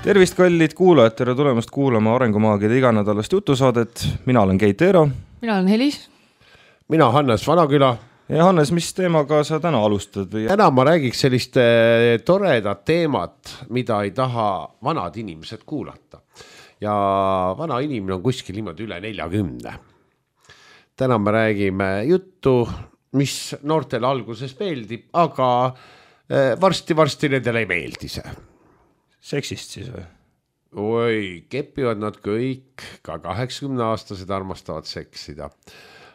Tervist, kallid kuulajad, tere tulemast kuulama Arengumaagide iganädalast jutusaadet. Mina olen Keit Eero. Mina olen Helis. Mina Hannes Vanaküla. Ja Hannes, mis teemaga sa täna alustad? Täna ma räägiks sellist toredat teemat, mida ei taha vanad inimesed kuulata. Ja vana inimene on kuskil niimoodi üle 40. Täna me räägime juttu, mis noortele alguses meeldib, aga varsti nendele ei meeldi see. Seksist siis või? Oi, kepivad nad kõik, ka 80-aastased armastavad seksida.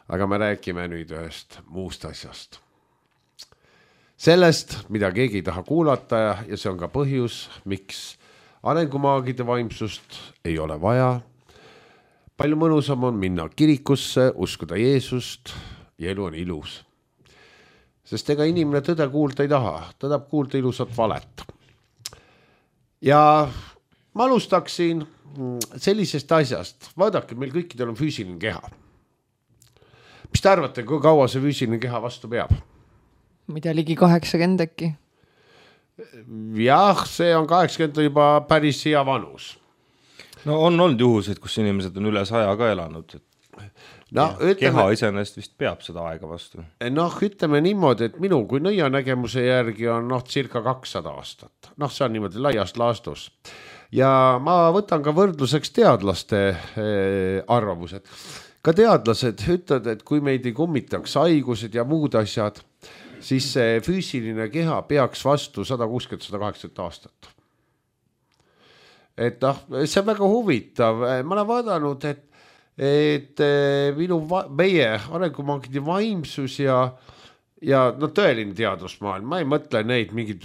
Aga me räägime nüüd ühest muust asjast. Sellest, mida keegi ei taha kuulata ja see on ka põhjus, miks arengumaagide vaimsust ei ole vaja. Palju mõnusam on minna kirikusse, uskuda Jeesust ja elu on ilus. Sest ega inimene tõde kuulda ei taha, ta tahab kuulda ilusat valet. Ja ma alustaksin sellisest asjast. Vaadake, meil kõikidel on füüsiline keha. Mis te arvate, kui kaua see füüsiline keha vastu peab? Mida ligi 80 äkki? Jah, see on 80 juba päris hea vanus. No on olnud juhuseid, kus inimesed on üle 100 ka elanud. No, keha iseenesest vist peab seda aega vastu. Ütleme niimoodi, et minu kui nõia nägemuse järgi on circa 200 aastat. See on niimoodi laiast laastus. Ja ma võtan ka võrdluseks teadlaste arvamused. Ka teadlased ütlevad, et kui meid ei kummitaks haigused ja muud asjad, siis see füüsiline keha peaks vastu 160-180 aastat. Et see on väga huvitav. Ma olen vaadanud, et meie arengumaagide vaimsus ja tõeline teadusmaailm, ma ei mõtle neid mingid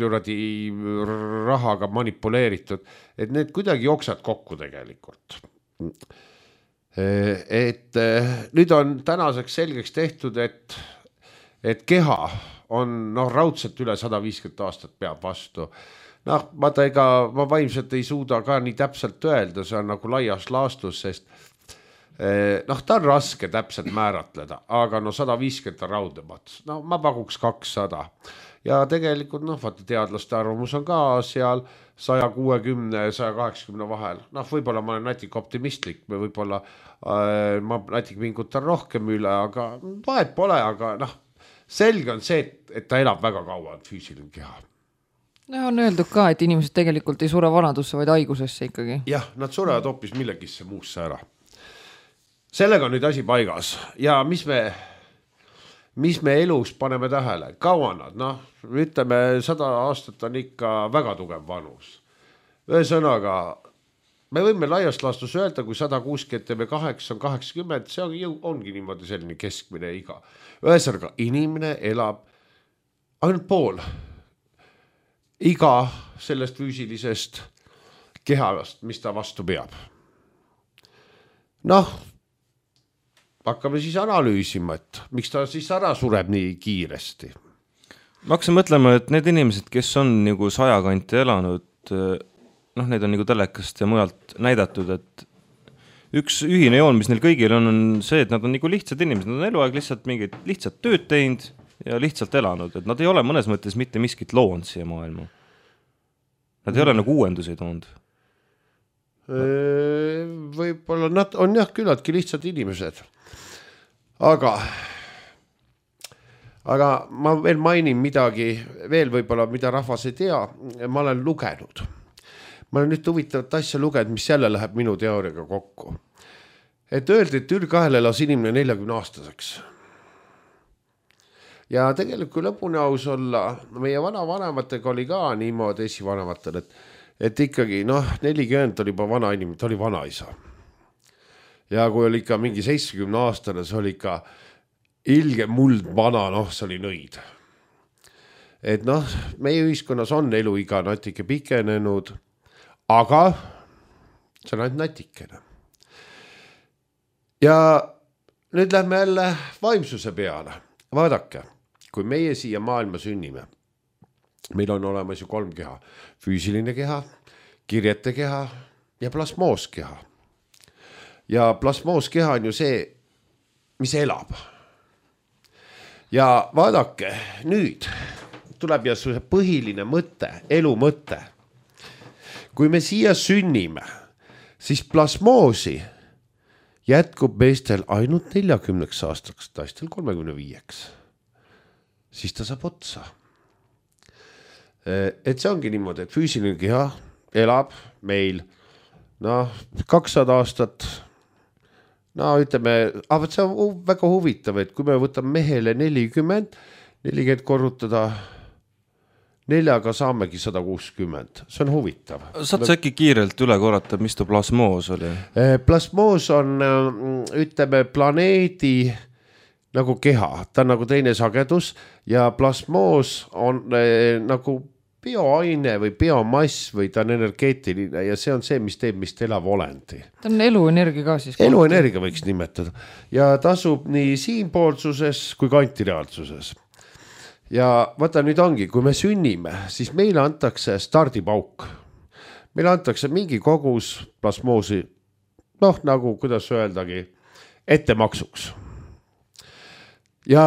rahaga manipuleeritud, et need kuidagi jooksad kokku tegelikult. Et nüüd on tänaseks selgeks tehtud, et keha on raudselt üle 150 aastat peab vastu. Ma vaimselt ei suuda ka nii täpselt öelda, see on nagu laias laastus, sest ta on raske täpselt määratleda, aga 150 on raudemad. Ma pakuks 200. Ja tegelikult teadlaste arvamus on ka seal 160-180 vahel. Võib-olla ma olen natik optimistlik, võib-olla ma natik pingutan rohkem üle, aga vahet pole, aga selge on see, et ta elab väga kaua füüsiline keha. On öeldud ka, et inimesed tegelikult ei sure vanadusse, vaid haigusesse ikkagi. Jah, nad surevad hoopis millegisse muusse ära. Sellega on nüüd asi paigas ja mis me elus paneme tähele, kaua nad, ütleme 100 aastat on ikka väga tugev vanus. Ühesõnaga, me võime laiast laastus öelda, kui 168 on 80, see ongi niimoodi selline keskmine iga. Ühesõnaga, inimene elab ainult pool iga sellest füüsilisest kehast, mis ta vastu peab. Hakkame siis analüüsima, et miks ta siis ära sureb nii kiiresti. Ma hakkasin mõtlema, et need inimesed, kes on nagu 100 kanti elanud, need on nagu telekast ja mujalt näidatud, et üks ühine joon, mis neil kõigil on see, et nad on nagu lihtsad inimesed, nad on eluaeg lihtsalt mingid lihtsalt tööd teinud ja lihtsalt elanud, et nad ei ole mõnes mõttes mitte miskit loonud siia maailma. Nad ei ole nagu uuendusi toonud. Võib-olla nad on küllaltki lihtsad inimesed. Aga ma veel mainin midagi, veel võib-olla, mida rahvas ei tea, ma olen lugenud. Ma olen nüüd huvitavat asja lugenud, mis jälle läheb minu teooriaga kokku. Et öeldi, et ülg-2 elas inimene 40-aastaseks. Ja tegelikult kui lõpuni aus olla, meie vanavanematega oli ka niimoodi esivanematel, et ikkagi 40 oli juba vana inimene, ta oli vanaisa. Ja kui oli ikka mingi 70-aastane, see oli ikka ilge muld vana, see oli nõid. Et meie ühiskonnas on eluiga natuke pikenenud, aga see on ainult natikene. Ja nüüd lähme jälle vaimsuse peale. Vaadake, kui meie siia maailma sünnime, meil on olemas ju 3 keha. Füüsiline keha, kirjete keha ja plasmooskeha. Ja plasmooskeha on ju see, mis elab. Ja vaadake, nüüd tuleb ja see põhiline mõte, elu mõte. kui me siia sünnime, siis plasmoosi jätkub meestel ainult 40 aastaks, naistel 35. Siis ta saab otsa. Et see ongi niimoodi, et füüsiline keha elab meil 200 aastat. No ütleme, aga see on väga huvitav, et kui me võtame mehele 40 korrutada 4-ga saamegi 160. See on huvitav. Saad sa äkki kiirelt üle korrata, mis ta plasmoos oli? Plasmoos on, ütleme, planeedi nagu keha. Ta on nagu teine sagedus ja plasmoos on nagu bioaine või biomass või ta on energeetiline ja see on see, mis teeb mist elav olendi. Ta on eluenergia ka siis. Eluenergia võiks nimetada ja tasub nii siinpoolsuses kui ka antireaalsuses. Ja vaata nüüd ongi, kui me sünnime, siis meile antakse stardipauk. Meile antakse mingi kogus plasmoosi, nagu kuidas öeldagi, ettemaksuks. Ja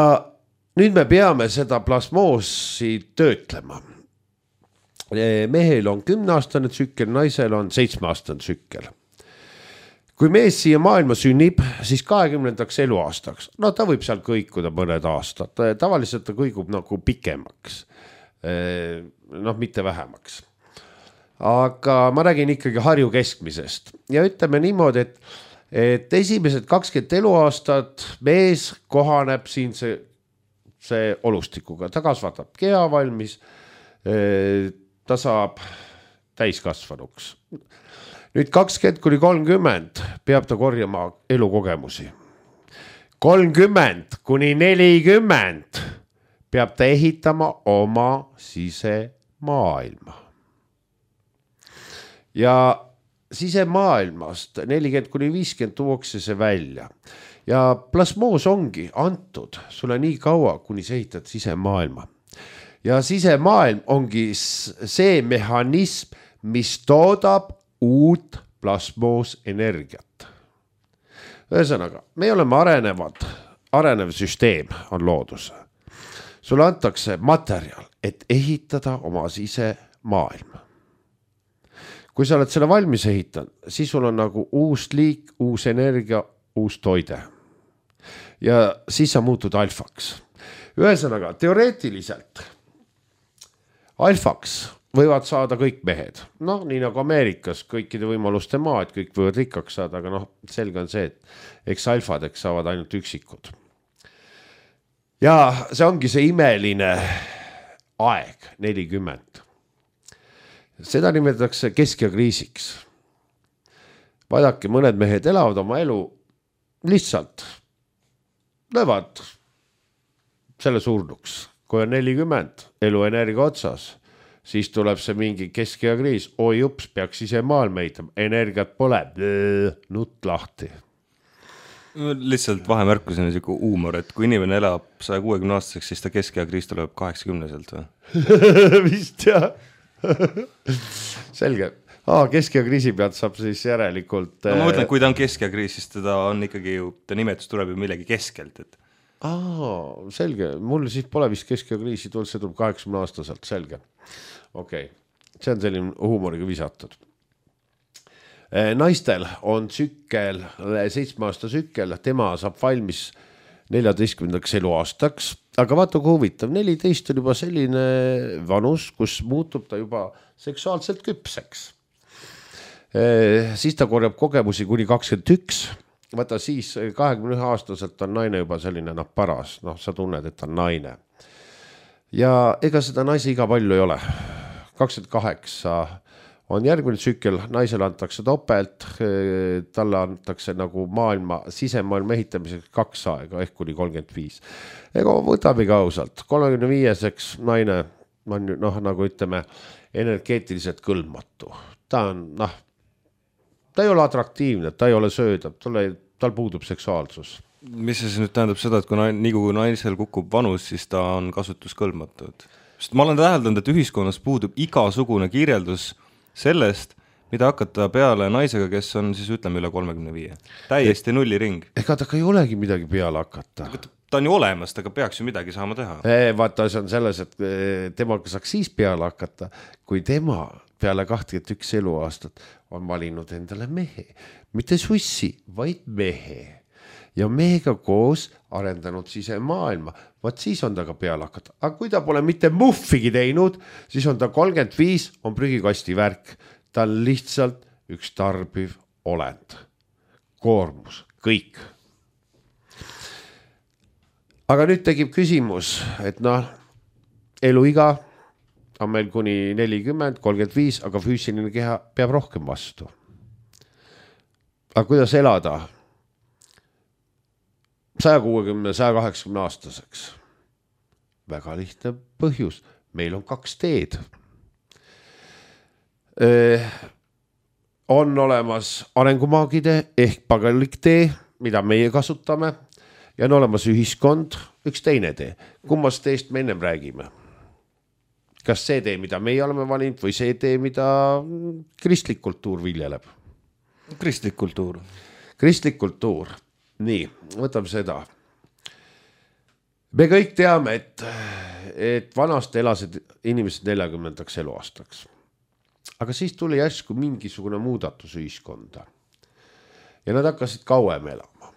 nüüd me peame seda plasmoosi töötlema. Mehel on 10-aastane tsükkel, naisel on 7-aastane tsükkel. Kui mees siia maailma sünnib, siis 20. eluaastaks, ta võib seal kõikuda mõned aastad, tavaliselt ta kõigub nagu pikemaks, mitte vähemaks. Aga ma räägin ikkagi Harju keskmisest ja ütleme niimoodi, et esimesed 20 eluaastat mees kohaneb siin see olustikuga, ta kasvatab keha valmis, ta saab täiskasvanuks. Nüüd 20-30 peab ta korjama elukogemusi. 30-40 peab ta ehitama oma sisemaailma. Ja sisemaailmast 40-50 tuuakse see välja. Ja plasmoos ongi antud sulle nii kaua, kuni sa ehitad sisemaailma. Ja sisemaailm ongi see mehhanism, mis toodab uut plasmoos energiat. Ühesõnaga, me oleme arenev süsteem on loodus. Sulle antakse materjal, et ehitada oma sisemaailm. Kui sa oled selle valmis ehitanud, siis sul on nagu uus liik, uus energia, uus toide. Ja siis sa muutud alfaks. Ühesõnaga, teoreetiliselt alfaks võivad saada kõik mehed. Nii nagu Ameerikas kõikide võimaluste maa, et kõik võivad rikkaks saada, aga selge on see, et eks alfadeks saavad ainult üksikud. Ja see ongi see imeline aeg, 40. Seda nimetatakse keskjakriisiks. Vaadake, mõned mehed elavad oma elu lihtsalt, löövad selle surnuks. Kui on 40, eluenergia otsas, siis tuleb see mingi keskjakriis. Oi ups, peaks ise maailma ehitama, energiat pole, nutt lahti. Lihtsalt vahemärkusena siuke huumor, et kui inimene elab 160 aastaseks, siis ta keskjakriis tuleb 80-selt või? Vist jah. Selge. Keskjakriisi pealt saab siis järelikult... ma mõtlen, kui ta on keskjakriis, siis teda on ikkagi ju, ta nimetus tuleb ju millegi keskelt, et... selge, mul siis pole vist keskjakriisi tulnud, see tuleb 80 aastaselt, selge. Okei, see on selline huumoriga visatud. Naistel on tsükkel, 7-aasta tsükkel, tema saab valmis 14. eluaastaks, aga vaata kui huvitav, 14 on juba selline vanus, kus muutub ta juba seksuaalselt küpseks. Siis ta korjab kogemusi kuni 21. Vaata siis 21 aastaselt on naine juba selline paras, sa tunned, et on naine. Ja ega seda naisi iga palju ei ole. 28 on järgmine tsükkel, naisele antakse topelt, talle antakse nagu sisemaailma ehitamiseks 2 aega, ehk kuni 35. Ega võtamegi ausalt, 35-seks naine on nagu ütleme energeetiliselt kõlbmatu. Ta on, ta ei ole atraktiivne, ta ei ole söödav, tal puudub seksuaalsus. Mis see siis nüüd tähendab seda, et kui naisel kukub vanus, siis ta on kasutuskõlbmatud? Sest ma olen täheldanud, et ühiskonnas puudub igasugune kirjeldus sellest, mida hakata peale naisega, kes on siis ütleme üle 35. Täiesti nulliring. Ega ta ei olegi midagi peale hakata. Ta on ju olemas, aga peaks ju midagi saama teha. Vaata, see on selles, et temaga saaks siis peale hakata, kui tema peale 21 eluaastat on valinud endale mehe, mitte sussi, vaid mehe. Ja mehega koos arendanud sisemaailma. Vaat siis on ta ka peale hakata. Aga kui ta pole mitte muffigi teinud, siis on ta 35, on prügikasti värk. Ta on lihtsalt üks tarbiv olend. Koormus, kõik. Aga nüüd tekib küsimus, et eluiga on meil kuni 40, 35, aga füüsiline keha peab rohkem vastu. Aga kuidas elada 160, 180 aastaseks? Väga lihtne põhjus. Meil on 2 teed. On olemas arengumaagide ehk paganlik tee, mida meie kasutame, ja on olemas ühiskond, üks teine tee. Kummast teest me ennem räägime? Kas see tee, mida meie oleme valinud, või see tee, mida kristlik kultuur viljeleb? Kristlik kultuur. Kristlik kultuur. Nii, võtame seda. Me kõik teame, et vanast elasid inimesed 40. eluaastaks. Aga siis tuli järsku mingisugune muudatus ühiskonda. Ja nad hakkasid kauem elama.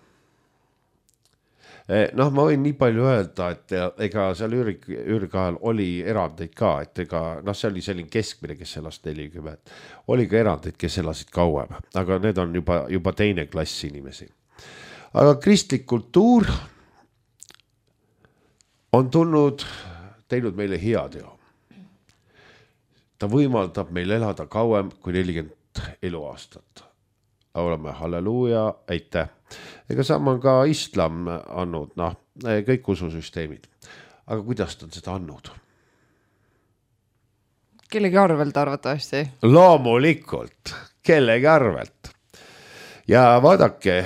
Ma võin nii palju öelda, et ega seal ürga ajal oli erandeid ka, et see oli selline keskmine, kes elas 40. Oli ka erandeid, kes elasid kauem, aga need on juba teine klass inimesi. Aga kristlik kultuur on teinud meile hea teo. Ta võimaldab meil elada kauem kui 40 eluaastat. Oleme halleluuja, aitäh. Ega sama on ka islam andnud, kõik ususüsteemid. Aga kuidas ta on seda andnud? Kellegi arvelt arvatavasti? Loomulikult, kellegi arvelt. Ja vaadake,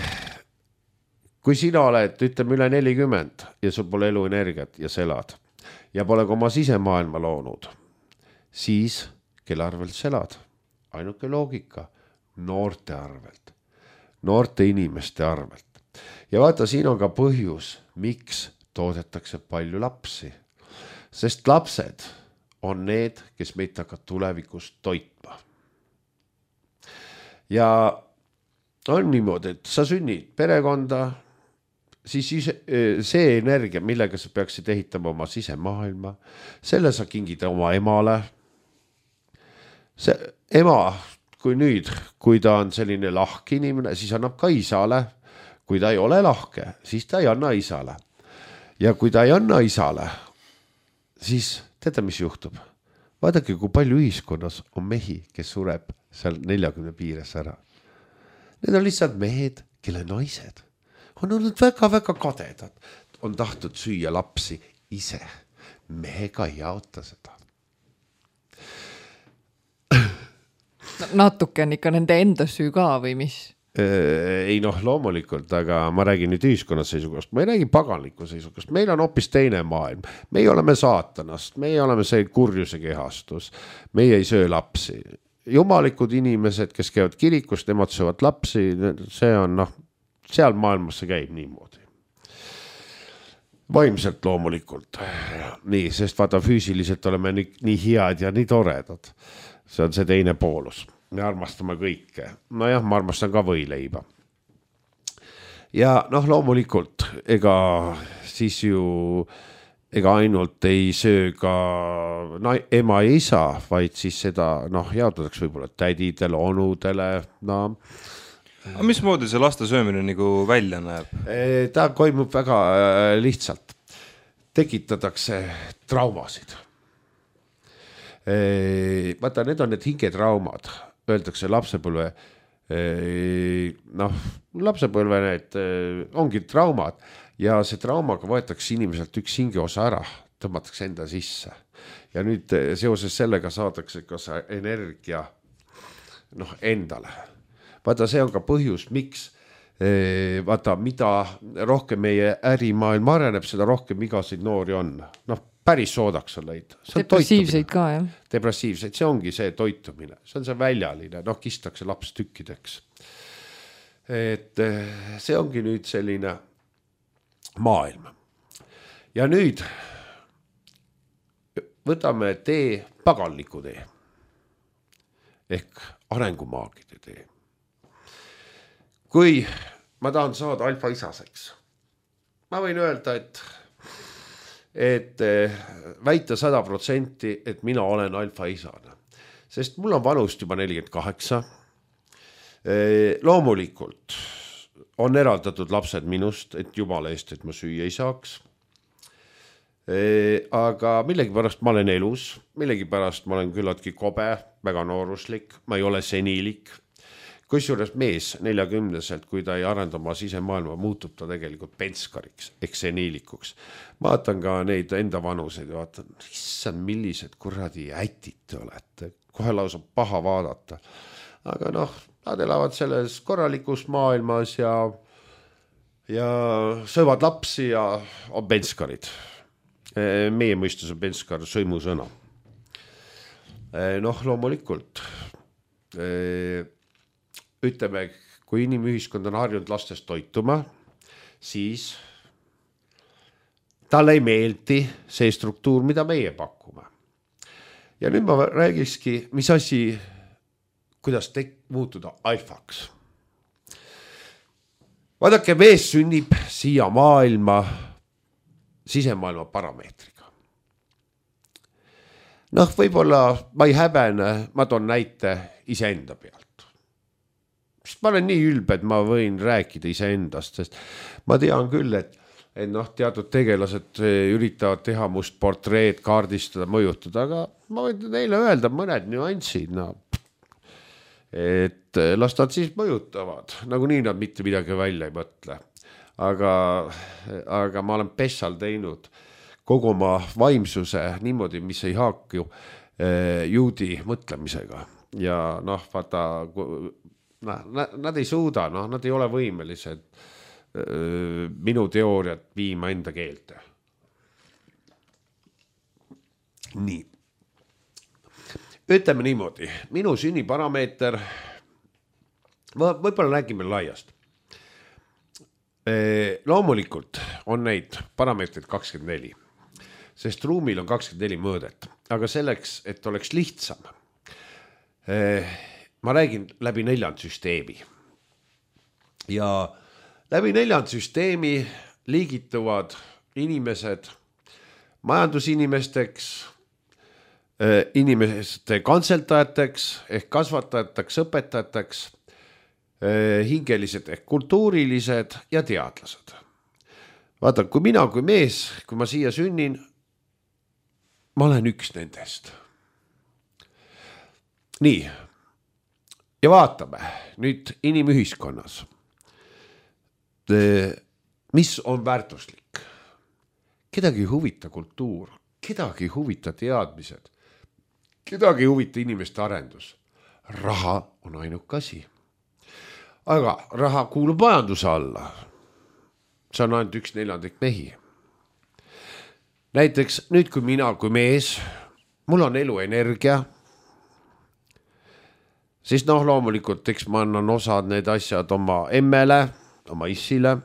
kui sina oled, ütleme üle 40 ja sul pole eluenergiat ja sa elad ja pole ka oma sisemaailma loonud, siis kelle arvelt sa elad? Ainuke loogika, noorte arvelt, noorte inimeste arvelt. Ja vaata, siin on ka põhjus, miks toodetakse palju lapsi. Sest lapsed on need, kes meid hakkavad tulevikus toitma. Ja on niimoodi, et sa sünnid perekonda, siis see energia, millega sa peaksid ehitama oma sisemaailma, selle sa kingid oma emale. See ema, kui ta on selline lahke inimene, siis annab ka isale. Kui ta ei ole lahke, siis ta ei anna isale. Ja kui ta ei anna isale, siis teate, mis juhtub? Vaadake, kui palju ühiskonnas on mehi, kes sureb seal 40 piires ära. Need on lihtsalt mehed, kelle naised on olnud väga-väga kadedad. On tahtnud süüa lapsi ise. Mehega ei jaota seda. Natuke on ikka nende enda süü ka või mis? Ei loomulikult, aga ma räägin nüüd ühiskonnas seisukohast. Ma ei räägi paganliku seisukohast. Meil on hoopis teine maailm. Meie oleme saatanast. Meie oleme see kurjuse kehastus. Meie ei söö lapsi. Jumalikud inimesed, kes käivad kirikust, nemad söövad lapsi. See on, seal maailmas see käib niimoodi. Vaimselt loomulikult. Nii, sest vaata, füüsiliselt oleme nii head ja nii toredad. See on see teine poolus. Me armastame kõike. Ma armastan ka võileiba. Ja loomulikult, ega ainult ei söö ka ema ja isa, vaid siis seda jaotatakse võib-olla tädidele, onudele. Aga mismoodi see laste söömine nagu välja näeb? Ta toimub väga lihtsalt. Tekitatakse traumasid. Vaata, need on need hingetraumad. Öeldakse lapsepõlve, need ongi traumad ja see traumaga võetakse inimeselt üks hingeosa ära, tõmmatakse enda sisse. Ja nüüd seoses sellega saadakse ka see energia endale. Vaata, see on ka põhjus, miks vaata, mida rohkem meie ärimaailm areneb, seda rohkem igasid noori on. Päris soodaks on leid. Depressiivseid ka, jah? Depressiivseid, see ongi see toitumine. See on see väljaline, kistakse laps tükkideks. Et see ongi nüüd selline maailm. Ja nüüd võtame paganliku tee. ehk arengumaagide tee. Kui ma tahan saada alfaisaseks, ma võin öelda, et väita 100%, et mina olen alfaisane, sest mul on vanust juba 48. Loomulikult on eraldatud lapsed minust, et jumala eest, et ma süüa ei saaks. Aga millegipärast ma olen elus, millegipärast ma olen küllaltki kobe, väga nooruslik, ma ei ole seniilik. Kusjuures mees 40-selt, kui ta ei arenda oma sisemaailma, muutub ta tegelikult penskariks, ehk seniilikuks. Vaatan ka neid enda vanuseid ja vaatan, issand, millised kuradi ätid te olete, kohe lausa paha vaadata. Aga nad elavad selles korralikus maailmas ja söövad lapsi ja on penskarid. Meie mõistus on penskar sõimusõna. Loomulikult ütleme, kui inimühiskond on harjunud lastest toituma, siis talle ei meeldi see struktuur, mida meie pakume. Ja nüüd ma räägikski, mis asi, kuidas muutuda alfaks. Vaadake, mees sünnib siia maailma sisemaailma parameetriga. Võib-olla ma ei häbene, ma toon näite iseenda pealt. Ma olen nii ülbe, et ma võin rääkida iseendast, sest ma tean küll, et teatud tegelased üritavad teha must portreed, kaardistada, mõjutada, aga ma võin neile öelda mõned nüansid, et las nad siis mõjutavad, nagu nii nad mitte midagi välja ei mõtle. Aga ma olen pessal teinud kogu oma vaimsuse niimoodi, mis ei haaku juudi mõtlemisega ja vaata, nad ei suuda, nad ei ole võimelised minu teooriat viima enda keelte. Nii. Ütleme niimoodi, minu sünniparameeter, võib-olla räägime laiast. Loomulikult on neid parameetreid 24, sest ruumil on 24 mõõdet, aga selleks, et oleks lihtsam, ma räägin läbi 4 süsteemi ja läbi 4 süsteemi liigituvad inimesed majandusinimesteks, inimeste kantseltajateks ehk kasvatajateks, õpetajateks, hingelised ehk kultuurilised ja teadlased. Vaata, kui mina kui mees, kui ma siia sünnin, ma olen üks nendest. Nii. Ja vaatame nüüd inimühiskonnas, mis on väärtuslik. Kedagi ei huvita kultuur, kedagi ei huvita teadmised, kedagi ei huvita inimeste arendus. Raha on ainuke asi. Aga raha kuulub majanduse alla. See on ainult 1/4 mehi. Näiteks nüüd, kui mina kui mees, mul on eluenergia, siis loomulikult, eks ma annan osad need asjad oma emmele, oma issile.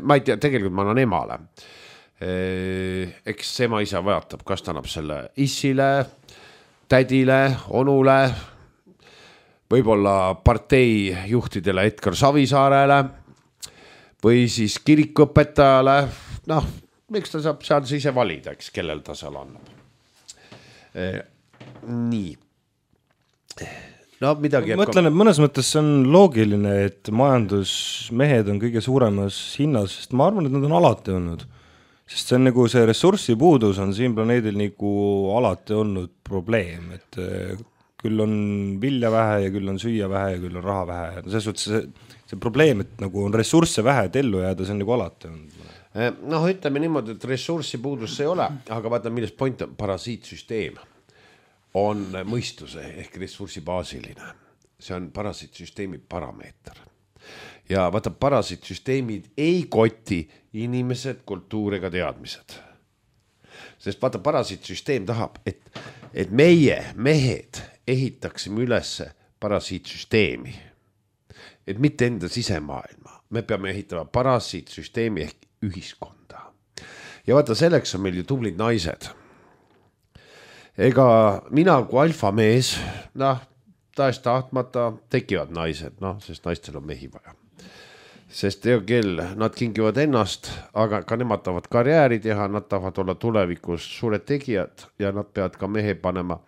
Ma ei tea, tegelikult ma annan emale. Eks ema isa vajatab, kas ta annab selle issile, tädile, onule, võib-olla partei juhtidele Edgar Savisaarele või siis kirikuõpetajale. Miks ta saab seal ise valida, eks, kellel ta seal annab. Nii. Midagi ma mõtlen, et mõnes mõttes see on loogiline, et majandusmehed on kõige suuremas hinnas, sest ma arvan, et nad on alati olnud. Sest see on nagu see ressursipuudus on siin planeedil nagu alati olnud probleem, et küll on vilja vähe ja küll on süüa vähe ja küll on raha vähe. Selles suhtes see probleem, et nagu on ressursse vähe, et ellu jääda, see on nagu alati olnud. Ütleme niimoodi, et ressursipuudus ei ole, aga vaata, millest point on parasiitsüsteem. On mõistuse ehk ressursibaasiline. See on parasiitsüsteemi parameeter. Ja vaata, parasiitsüsteemid ei koti inimesed, kultuur ega teadmised. Sest vaata, parasiitsüsteem tahab, et meie mehed ehitaksime ülesse parasiitsüsteemi. Et mitte enda sisemaailma. Me peame ehitama parasiitsüsteemi ehk ühiskonda. Ja vaata, selleks on meil ju tublid naised. Ega mina kui alfamees, tahes-tahtmata tekivad naised, noh, sest naistel on mehi vaja. Sest hea kell, nad kingivad ennast, aga ka nemad tahavad karjääri teha, nad tahavad olla tulevikus suured tegijad ja nad peavad ka mehe panema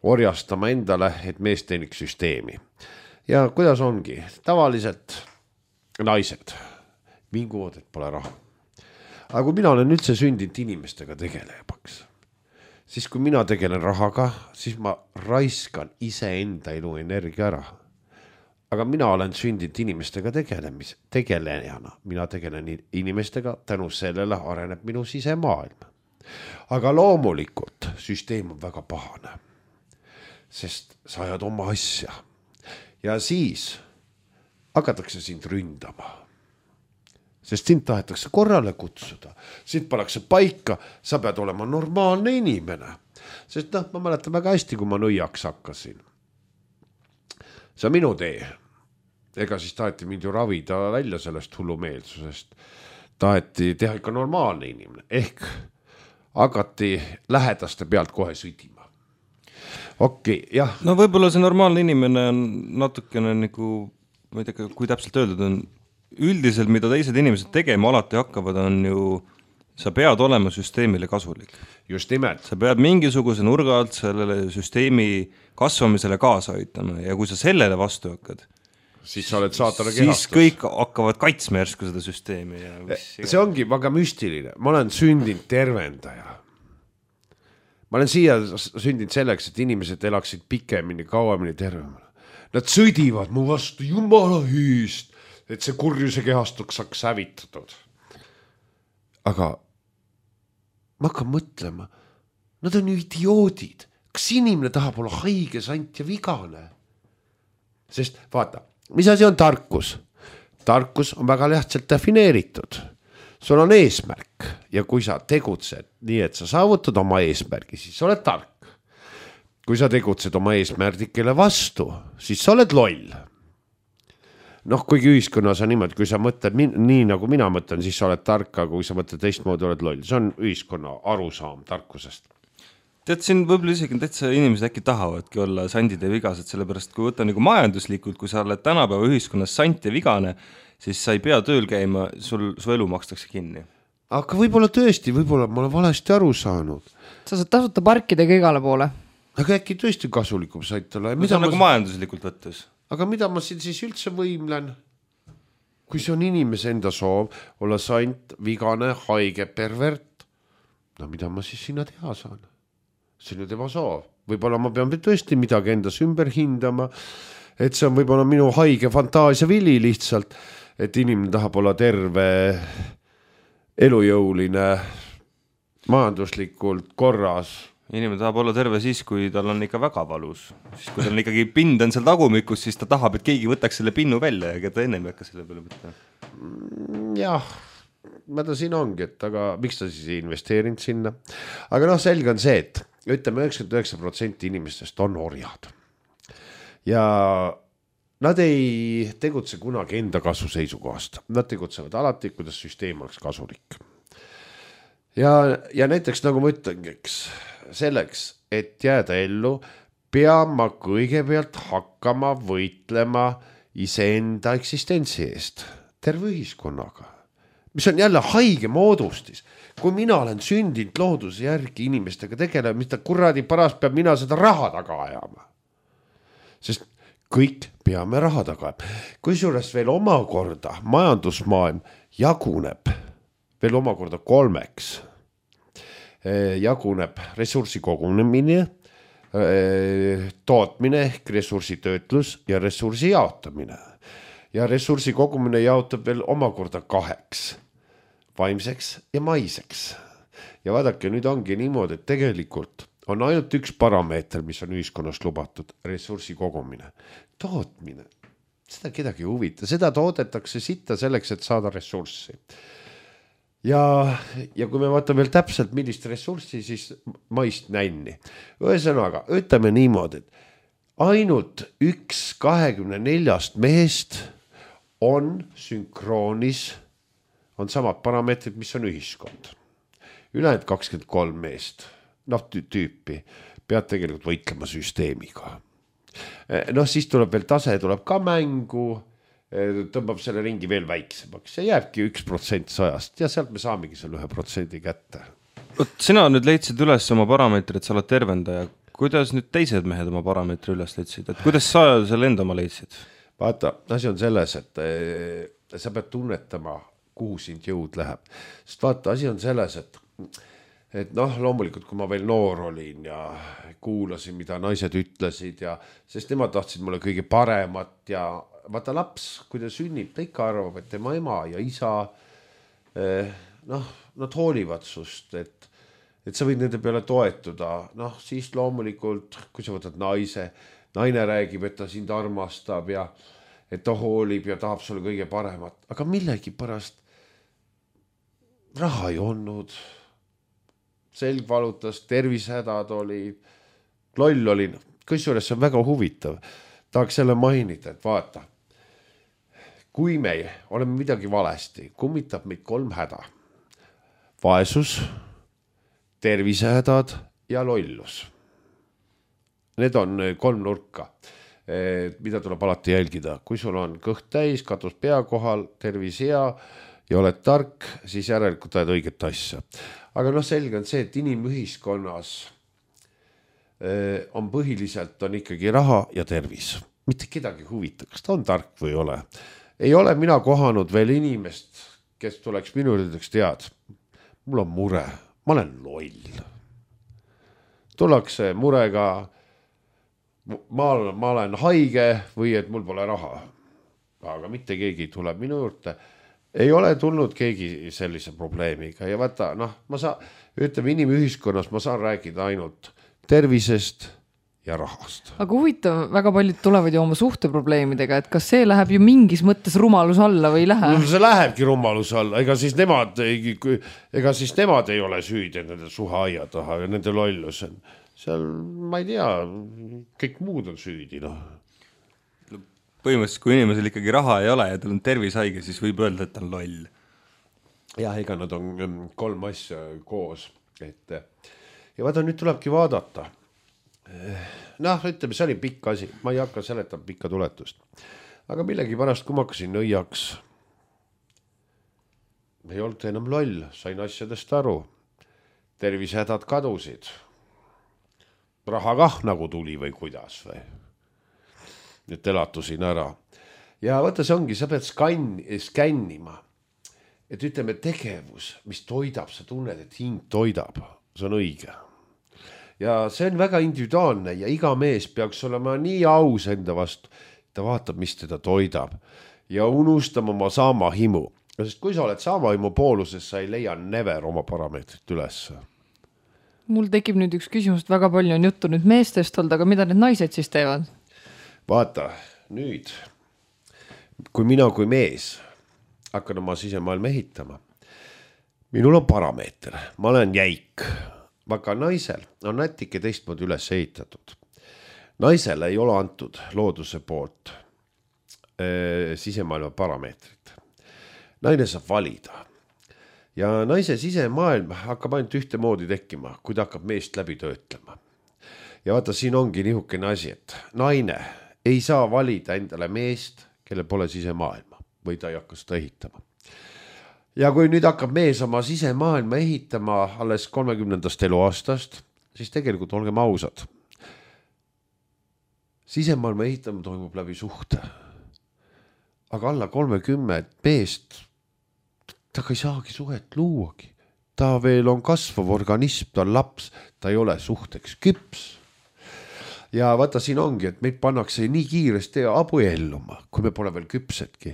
orjastama endale, et mees teeniks süsteemi. Ja kuidas ongi? Tavaliselt naised vinguvad, et pole raha. Aga kui mina olen üldse sündinud inimestega tegelejaks, siis kui mina tegelen rahaga, siis ma raiskan iseenda elu energia ära. Aga mina olen sündinud inimestega tegelejana. Mina tegelen inimestega, tänu sellele areneb minu sisemaailm. Aga loomulikult süsteem on väga pahane, sest sa ajad oma asja ja siis hakatakse sind ründama. Sest sind tahetakse korrale kutsuda, sind pannakse paika, sa pead olema normaalne inimene. Sest ma mäletan väga hästi, kui ma nõiaks hakkasin. See on minu tee. Ega siis taheti mind ju ravida välja sellest hullumeelsusest. Taheti teha ikka normaalne inimene. Ehk hakati lähedaste pealt kohe sõdima. Okei, jah. No võib-olla see normaalne inimene on natukene nagu, ma ei tea, kui täpselt öeldud on, üldiselt, mida teised inimesed tegema alati hakkavad, on ju, sa pead olema süsteemile kasulik. Just nimelt. Sa pead mingisuguse nurga alt sellele süsteemi kasvamisele kaasa aitama ja kui sa sellele vastu hakkad, siis sa oled saatana kehastus. Siis kõik hakkavad kaitsma järsku seda süsteemi. Ja see ongi väga müstiline. Ma olen sündinud tervendaja. Ma olen siia sündinud selleks, et inimesed elaksid pikemini, kauemini tervemini. Nad sõdivad mu vastu jumala hüüst, et see kurjuse kehastuks saaks hävitatud. Aga ma hakkan mõtlema, nad on ju idioodid. Kas inimene tahab olla haige, sant ja vigane? Sest vaata, mis asi on tarkus? Tarkus on väga lihtsalt defineeritud. Sul on eesmärk ja kui sa tegutsed nii, et sa saavutad oma eesmärgi, siis sa oled tark. Kui sa tegutsed oma eesmärgikele vastu, siis sa oled loll. Noh, kuigi ühiskonnas on niimoodi, kui sa mõtled nii nagu mina mõtlen, siis sa oled tark, aga kui sa mõtled teistmoodi, oled loll. See on ühiskonna arusaam tarkusest. Tead, siin võib-olla isegi täitsa inimesed äkki tahavadki olla sandid ja vigased, sellepärast kui võtta nagu majanduslikult, kui sa oled tänapäeva ühiskonnas sant ja vigane, siis sa ei pea tööl käima, su elu makstakse kinni. Aga võib-olla tõesti, võib-olla ma olen valesti aru saanud. Sa saad tasuta parkidega igale poole. Aga äkki tõesti kasulikum sait olla. See on nagu majanduslikult võttes. Aga mida ma siin siis üldse võimlen? Kui see on inimese enda soov olla sant, vigane, haige, pervert, no mida ma siis sinna teha saan? See on ju tema soov. Võib-olla ma pean tõesti midagi endas ümber hindama, et see on võib-olla minu haige fantaasia vili lihtsalt, et inimene tahab olla terve, elujõuline, majanduslikult korras. Inimene tahab olla terve siis, kui tal on ikka väga valus. Siis kui tal on ikkagi pind on seal tagumikus, siis ta tahab, et keegi võtaks selle pinnu välja ja keda ennem ei hakka selle peale võtta. Jah, ma ta siin ongi, et aga miks ta siis ei investeerinud sinna? Aga noh, selge on see, et ütleme 99% inimestest on orjad. Ja nad ei tegutse kunagi enda kasu seisukohast. Nad tegutsevad alati, kuidas süsteem oleks kasulik. Ja näiteks nagu ma ütlengi, selleks, et jääda ellu, pean ma kõigepealt hakkama võitlema iseenda eksistentsi eest, terve ühiskonnaga, mis on jälle haige moodustis. Kui mina olen sündinud looduse järgi inimestega tegelema, mis ta kuradi paras peab mina seda raha taga ajama. Sest kõik peame raha taga ajama. Kusjuures veel omakorda majandusmaailm jaguneb veel omakorda 3. Jaguneb ressursi kogunemine, tootmine ehk ressursitöötlus ja ressursi jaotamine. Ja ressursi kogumine jaotab veel omakorda 2. Vaimseks ja maiseks. Ja vaadake, nüüd ongi niimoodi, et tegelikult on ainult üks parameeter, mis on ühiskonnas lubatud, ressursi kogumine. Tootmine, seda kedagi huvita, seda toodetakse sitta selleks, et saada ressurssi. Ja kui me vaatame veel täpselt, millist ressurssi, siis maist nänni. Ühesõnaga, ütleme niimoodi, et ainult 1/24 mehest on sünkroonis, on samad parameetrid, mis on ühiskond. Ülejäänud 23 meest, tüüpi, pead tegelikult võitlema süsteemiga. noh, siis tuleb veel tase, tuleb ka mängu, tõmbab selle ringi veel väiksemaks ja jääbki 1% 100 ja sealt me saamegi selle 1% kätte. Sina nüüd leidsid üles oma parameetri, et sa oled tervendaja. Kuidas nüüd teised mehed oma parameetri üles leidsid? Et kuidas sa selle enda oma leidsid? Vaata, asi on selles, et sa pead tunnetama, kuhu sind jõud läheb. Sest vaata, asi on selles, et noh, loomulikult, kui ma veel noor olin ja kuulasin, mida naised ütlesid ja sest nemad tahtsid mulle kõige paremat ja vaata laps, kui ta sünnib, ta ikka arvab, et tema ema ja isa, noh, nad hoolivad sust, et sa võid nende peale toetuda. Noh, siis loomulikult, kui sa võtad naine räägib, et ta sind armastab ja et ta hoolib ja tahab sulle kõige paremat, aga millegi pärast raha ei olnud, selg valutas, tervisehädad oli, loll oli, kusjuures see on väga huvitav. Tahaks selle mainida, et vaata, kui me oleme midagi valesti, kummitab meid 3 häda. Vaesus, tervisehädad ja lollus. Need on 3 nurka, mida tuleb alati jälgida. Kui sul on kõht täis, katus pea kohal, tervis hea ja oled tark, siis järelikult ajad õiget asja. Aga noh, selge on see, et inimühiskonnas on põhiliselt on ikkagi raha ja tervis. Mitte kedagi huvita, kas ta on tark või ei ole. Ei ole mina kohanud veel inimest, kes tuleks minu üldeks tead. Mul on mure, ma olen loll. Tullakse murega, ma olen haige või et mul pole raha. Aga mitte keegi tuleb minu juurde. Ei ole tulnud keegi sellise probleemiga ja vaata, noh, ütleme inimühiskonnas ma saan rääkida ainult tervisest ja rahast. Aga huvitav, väga paljud tulevad ju oma suhteprobleemidega, et kas see läheb ju mingis mõttes rumalus alla või ei lähe? No, see lähebki rumalus alla, ega siis nemad ei ole süüdi nende suheaia taha ja nende lollus. Seal, ma ei tea, kõik muud on süüdi, noh. Põhimõtteliselt, kui inimesel ikkagi raha ei ole ja tal on tervishaige, siis võib öelda, et ta on loll. Jah, ega nad on 3 asja koos. Ja vaata, nüüd tulebki vaadata. Noh, ütleme, see oli pikk asi. Ma ei hakka seletama pikka tuletust. Aga millegi pärast, kui ma hakkasin nõiaks, ei olnud enam loll, sain asjadest aru. Tervisehädad kadusid. Raha kah nagu tuli või kuidas või. Nüüd elatusin ära. Ja vaata, see ongi, sa pead skännima. Et ütleme tegevus, mis toidab, sa tunned, et hing toidab. See on õige. Ja see on väga individuaalne ja iga mees peaks olema nii aus enda vastu. Ta vaatab, mis teda toidab. Ja unustama oma saama himu. Sest kui sa oled saama himu pooluses, sa ei leia never oma parameetrit üles. Mul tekib nüüd üks küsimus, väga palju on juttu nüüd meestest olnud, aga mida need naised siis teevad? Vaata, nüüd, kui mina kui mees hakkan oma sisemaailma ehitama, minul on parameeter, ma olen jäik, aga naisel on natuke teistmoodi üles ehitatud. Naisele ei ole antud looduse poolt sisemaailma parameetrit. Naine saab valida. Ja naise sisemaailm hakkab ainult ühte moodi tekkima, kui ta hakkab meest läbi töötlema. Ja vaata, siin ongi nihukene asi, et naine ei saa valida endale meest, kelle pole sisemaailma või ta ei hakka seda ehitama. Ja kui nüüd hakkab mees oma sisemaailma ehitama alles 30. eluaastast, siis tegelikult olgem ausad. Sisemaailma ehitamine toimub läbi suhte. Aga alla 30 meest, ta ei saagi suhet luuagi. Ta veel on kasvav organism, ta on laps, ta ei ole suhteks küps. Ja vaata, siin ongi, et meid pannakse nii kiiresti abuelluma, kui me pole veel küpsedki.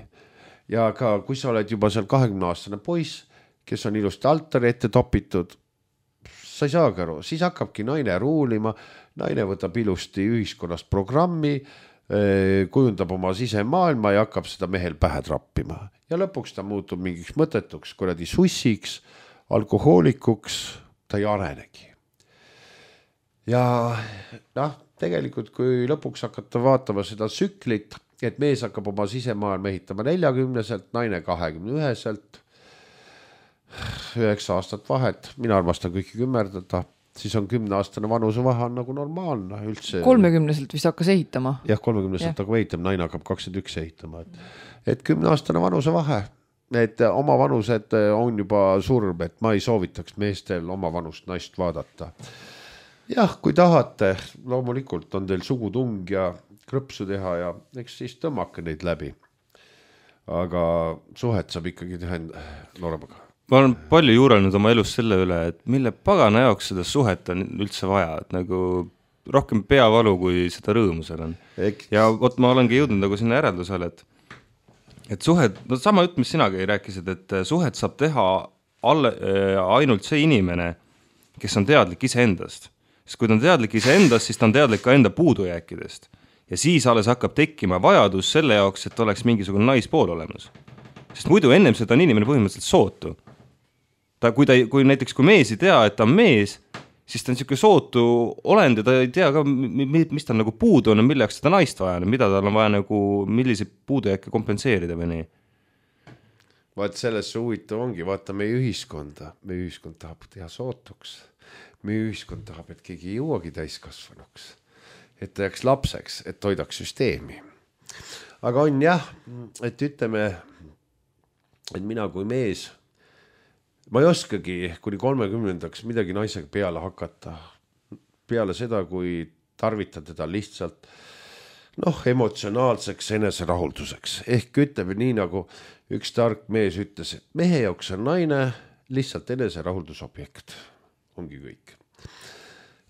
Ja ka kui sa oled juba seal 20-aastane poiss, kes on ilusti altari ette topitud, sa ei saagi aru, siis hakkabki naine ruulima, naine võtab ilusti ühiskonnast programmi, kujundab oma sisemaailma ja hakkab seda mehel pähe trappima. Ja lõpuks ta muutub mingiks mõtetuks, kuradi sussiks, alkohoolikuks, ta ei arenegi. Ja noh, tegelikult kui lõpuks hakata vaatama seda tsüklit, et mees hakkab oma sisemaailma ehitama 40-selt, naine 21-selt, 9 aastat vahet, mina armastan kõiki kümmerdada, siis on 10-aastane vanusevahe on nagu normaalne üldse. 30-selt vist hakkas ehitama. Jah, 30-selt hakkab ehitama, naine hakkab 21 ehitama. Et 10-aastane vanusevahe, et oma vanused on juba surm, et ma ei soovitaks meestel oma vanust naist vaadata. Jah, kui tahate, loomulikult on teil sugutung ja krõpsu teha ja eks siis tõmmake neid läbi. Aga suhet saab ikkagi teha nooremaga. Ma olen palju juurelnud oma elus selle üle, et mille pagana jaoks seda suhet on üldse vaja, et nagu rohkem peavalu, kui seda rõõmu seal on. Ja võt ma olengi jõudnud nagu sinna järeldusele, et suhet, no sama jutt, mis sinagi rääkisid, et suhet saab teha ainult see inimene, kes on teadlik iseendast. Sest kui ta on teadlik iseendast, siis ta on teadlik ka enda puudujääkidest. Ja siis alles hakkab tekkima vajadus selle jaoks, et oleks mingisugune naispool olemas. Sest muidu ennem seda on inimene põhimõtteliselt sootu. Kui näiteks kui mees ei tea, et ta on mees, siis ta on niisugune sootu olend ja ta ei tea ka, mis tal nagu puudu on, milleks seda naist vaja, mida tal on vaja nagu, millise puudujääke kompenseerida või nii. Vaat sellesse huvitav ongi, vaata meie ühiskonda. Meie ühiskond tahab teha sootuks. Meie ühiskond tahab, et keegi ei jõuagi täiskasvanuks. Et ta jääks lapseks, et toidaks süsteemi. Aga on jah, et ütleme, et mina kui mees, ma ei oskagi kuni 30-ndaks midagi naisega peale hakata. Peale seda, kui tarvitan teda lihtsalt emotsionaalseks eneserahulduseks. Ehk ütleme nii, nagu üks tark mees ütles, et mehe jaoks on naine lihtsalt eneserahuldusobjekt. Ongi kõik.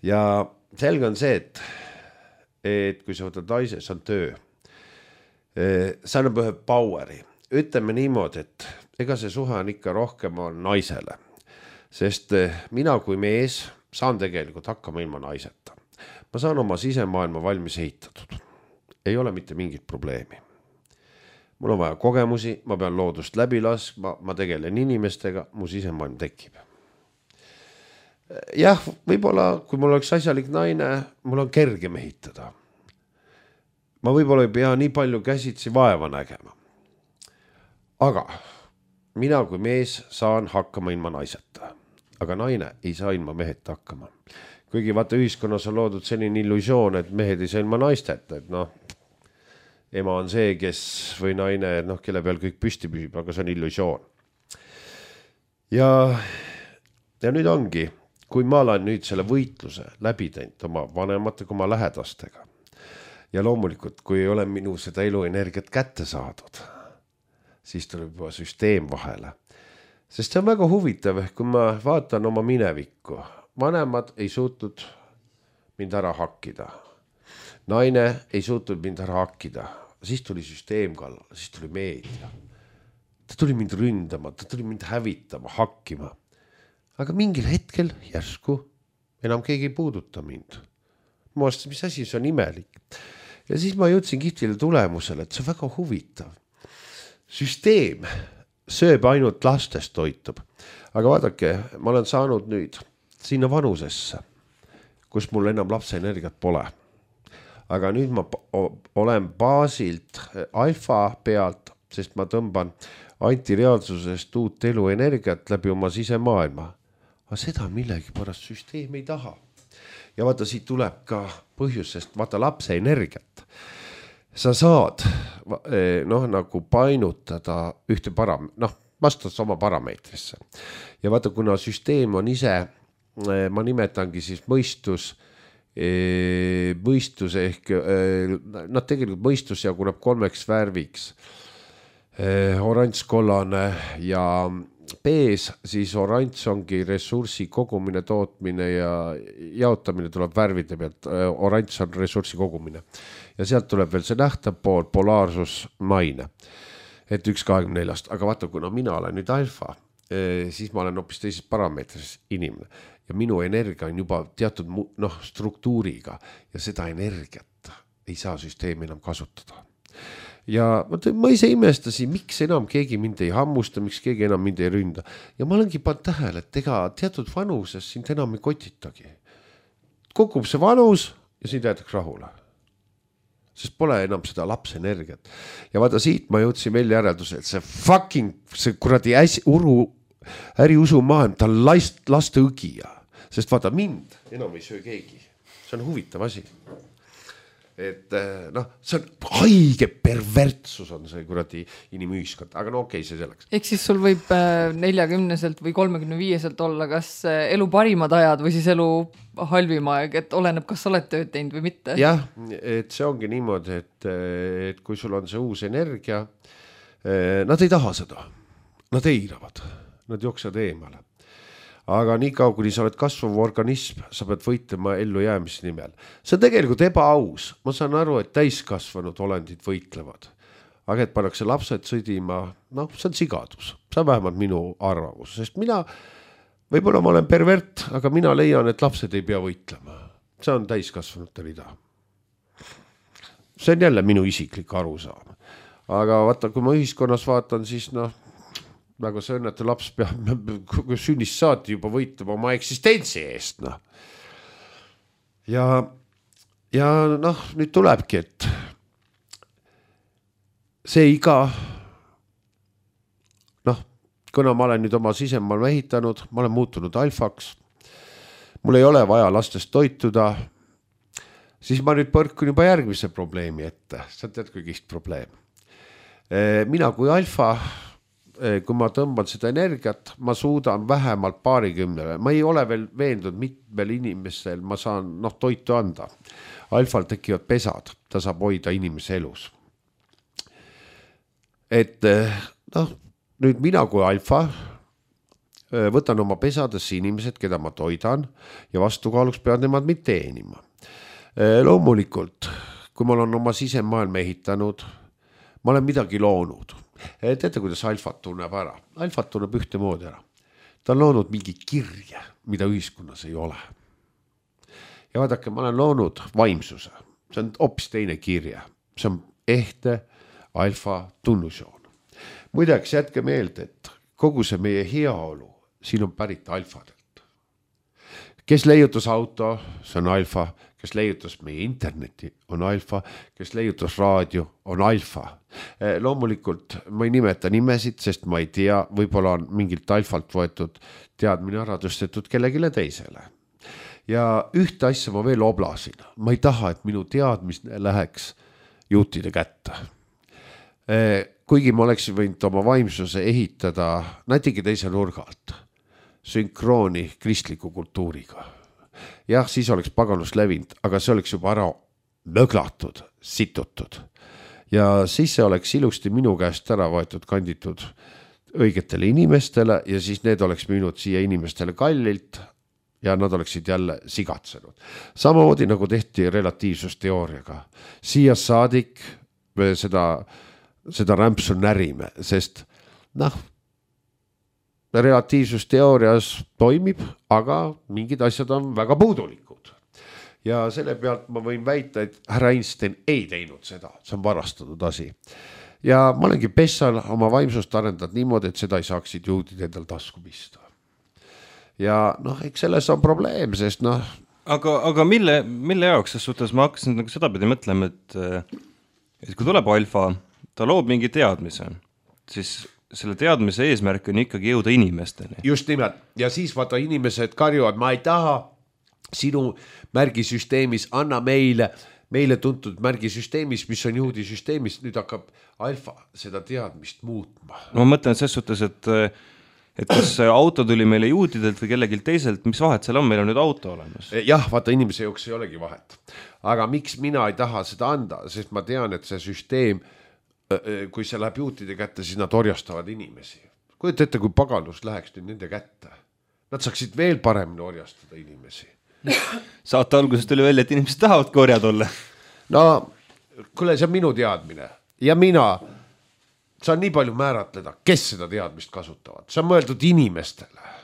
Ja selge on see, et kui sa võtad naise, see on töö. See annab ühe poweri. Ütleme niimoodi, et ega see suhe on ikka rohkem on naisele. Sest mina kui mees saan tegelikult hakkama ilma naiseta. Ma saan oma sisemaailma valmis ehitatud. Ei ole mitte mingit probleemi. Mul on vaja kogemusi, ma pean loodust läbi laskma, ma tegelen inimestega, mu sisemaailm tekib. Jah, võib-olla, kui mul oleks asjalik naine, mul on kergem ehitada. Ma võib-olla ei pea nii palju käsitsi vaeva nägema. Aga mina kui mees saan hakkama ilma naiseta. Aga naine ei saa ilma meheta hakkama. Kuigi vaata ühiskonnas on loodud selline illusioon, et mehed ei saa ilma naisteta, et ema on see, kes või naine, kelle peal kõik püsti püsib, aga see on illusioon. Ja nüüd ongi, kui ma olen nüüd selle võitluse läbi teinud oma vanematega, oma lähedastega ja loomulikult, kui ei ole minu seda eluenergiat kätte saadud, siis tuleb juba süsteem vahele. Sest see on väga huvitav, kui ma vaatan oma minevikku. Vanemad ei suutnud mind ära hakkida. Naine ei suutnud mind ära hakkida. Siis tuli süsteem kallal, siis tuli meedia. Ta tuli mind ründama, ta tuli mind hävitama, hakkima. Aga mingil hetkel järsku enam keegi ei puuduta mind. Ma vastasin, mis asi, see on imelik. Ja siis ma jõudsin kihtile tulemusele, et see on väga huvitav. Süsteem sööb ainult lastest toitub. Aga vaadake, ma olen saanud nüüd sinna vanusesse, kus mul enam lapse energiat pole. Aga nüüd ma olen baasilt alfa pealt, sest ma tõmban antireaalsusest uut eluenergiat läbi oma sisemaailma. Aga seda millegi pärast süsteem ei taha. Ja vaata, siit tuleb ka põhjus, sest vaata lapse energiat. Sa saad nagu painutada ühte vastad oma parameetrisse. Ja vaata, kuna süsteem on ise, ma nimetangi siis mõistus ehk, tegelikult mõistus jaguneb 3 värviks. Oranž, kollane ja B-s, siis oranž ongi ressursi kogumine, tootmine ja jaotamine tuleb värvide pealt. Oranž on ressursi kogumine. Ja sealt tuleb veel see nähtav pool, polaarsus, maine. Et 1,24. Aga vaata, kuna mina olen nüüd alfa, siis ma olen hoopis teises parameetris inimene. Ja minu energia on juba teatud struktuuriga ja seda energiat ei saa süsteemi enam kasutada. Ja ma ise imestasin, miks enam keegi mind ei hammusta, miks keegi enam mind ei ründa. Ja ma olengi pannud tähele, et ega teatud vanuses sind enam ei kotitagi. Kukub see vanus ja sind jäetakse rahule. Sest pole enam seda lapse energiat. Ja vaata, siit ma jõudsin veel järelduse, et see kuradi äriusu maailm, ta on laste õgija. sest vaata mind enam ei söö keegi, see on huvitav asi. Et noh, see on haige pervertsus on see kuradi inimühiskond, aga no okei, see selleks. Ehk siis sul võib 40-selt või 35-selt olla kas elu parimad ajad või siis elu halvim aeg, et oleneb, kas sa oled tööd teinud või mitte. Jah, et see ongi niimoodi, et kui sul on see uus energia, nad ei taha seda, nad eiravad, nad jooksevad eemale. Aga nii kaua, kuni sa oled kasvav organism, sa pead võitlema ellu jäämise nimel. See on tegelikult ebaaus. Ma saan aru, et täiskasvanud olendid võitlevad. Aga et pannakse lapsed sõdima, noh, see on sigadus. See on vähemalt minu arvamus. Sest mina, võib-olla ma olen pervert, aga mina leian, et lapsed ei pea võitlema. See on täiskasvanute rida. See on jälle minu isiklik arusaam. Aga vaata, kui ma ühiskonnas vaatan, siis noh, nagu see õnnetu laps peab sünnist saati juba võitlema oma eksistentsi eest. No. Ja noh, nüüd tulebki, et see iga, noh, kuna ma olen nüüd oma sisemaal ehitanud, ma olen muutunud alfaks, mul ei ole vaja lastest toituda, siis ma nüüd põrkun juba järgmise probleemi ette. Sa tead, kui kihт probleem. Mina kui alfa, kui ma tõmban seda energiat, ma suudan vähemalt 20, ma ei ole veel veendunud mitmel inimesel, ma saan toitu anda. Alfal tekivad pesad, ta saab hoida inimese elus. Et nüüd mina kui alfa võtan oma pesadesse inimesed, keda ma toidan ja vastukaaluks peavad nemad mind teenima. Loomulikult, kui ma olen oma sisemaailma ehitanud, ma olen midagi loonud. Teate, kuidas alfat tunneb ära? Alfat tunneb ühte moodi ära. Ta on loonud mingi kirje, mida ühiskonnas ei ole. Ja vaadake, ma olen loonud vaimsuse. See on hoopis teine kirje. See on ehte alfa tunnusjoon. Muideks jätke meelde, et kogu see meie heaolu, siin on pärit alfadelt. Kes leiutas auto, see on alfa. Kes leiutas meie interneti, on alfa, kes leiutas raadio, on alfa. Loomulikult ma ei nimeta nimesid, sest ma ei tea, võib-olla on mingilt alfalt võetud teadmine ära tõstetud kellegile teisele. Ja ühte asja ma veel oblasin. Ma ei taha, et minu teadmine läheks juutide kätte. Kuigi ma oleksin võinud oma vaimsuse ehitada natuke teise nurgalt, sünkrooni kristliku kultuuriga. Jah, siis oleks paganus levinud, aga see oleks juba ära möglatud, situtud. Ja siis see oleks ilusti minu käest ära võetud, kanditud õigetele inimestele ja siis need oleks müünud siia inimestele kallilt ja nad oleksid jälle sigatsenud. Samamoodi nagu tehti relatiivsusteooriaga. Siia saadik seda rämpsu närime, sest relatiivsusteoorias toimib, aga mingid asjad on väga puudulikud. Ja selle pealt ma võin väita, et härra Einstein ei teinud seda, see on varastatud asi. Ja ma olengi pessal oma vaimsust arendanud niimoodi, et seda ei saaksid juudid endal tasku pista. Ja eks selles on probleem, sest Aga mille jaoks ses suhtes ma hakkasin seda pidi mõtlema, et kui tuleb alfa, ta loob mingi teadmise, siis selle teadmise eesmärk on ikkagi jõuda inimesteni. Just nimelt. Ja siis vaata inimesed karjuvad, ma ei taha sinu märgisüsteemis, anna meile tuntud märgisüsteemis, mis on juudi süsteemis, nüüd hakkab alfa seda teadmist muutma. No ma mõtlen ses suhtes, et kas auto tuli meile juudidelt või kellegilt teiselt, mis vahet seal on, meil on nüüd auto olemas. Jah, vaata inimese jooks ei olegi vahet. Aga miks mina ei taha seda anda, sest ma tean, et see süsteem kui see läheb juutide kätte, siis nad orjastavad inimesi. Kujuta ette, kui paganus läheks nüüd nende kätte. Nad saaksid veel paremini orjastada inimesi. Saate alguses tuli välja, et inimesed tahavad korjad olla. No, kuule, see on minu teadmine. Ja mina saan nii palju määratleda, kes seda teadmist kasutavad. See on mõeldud inimestele.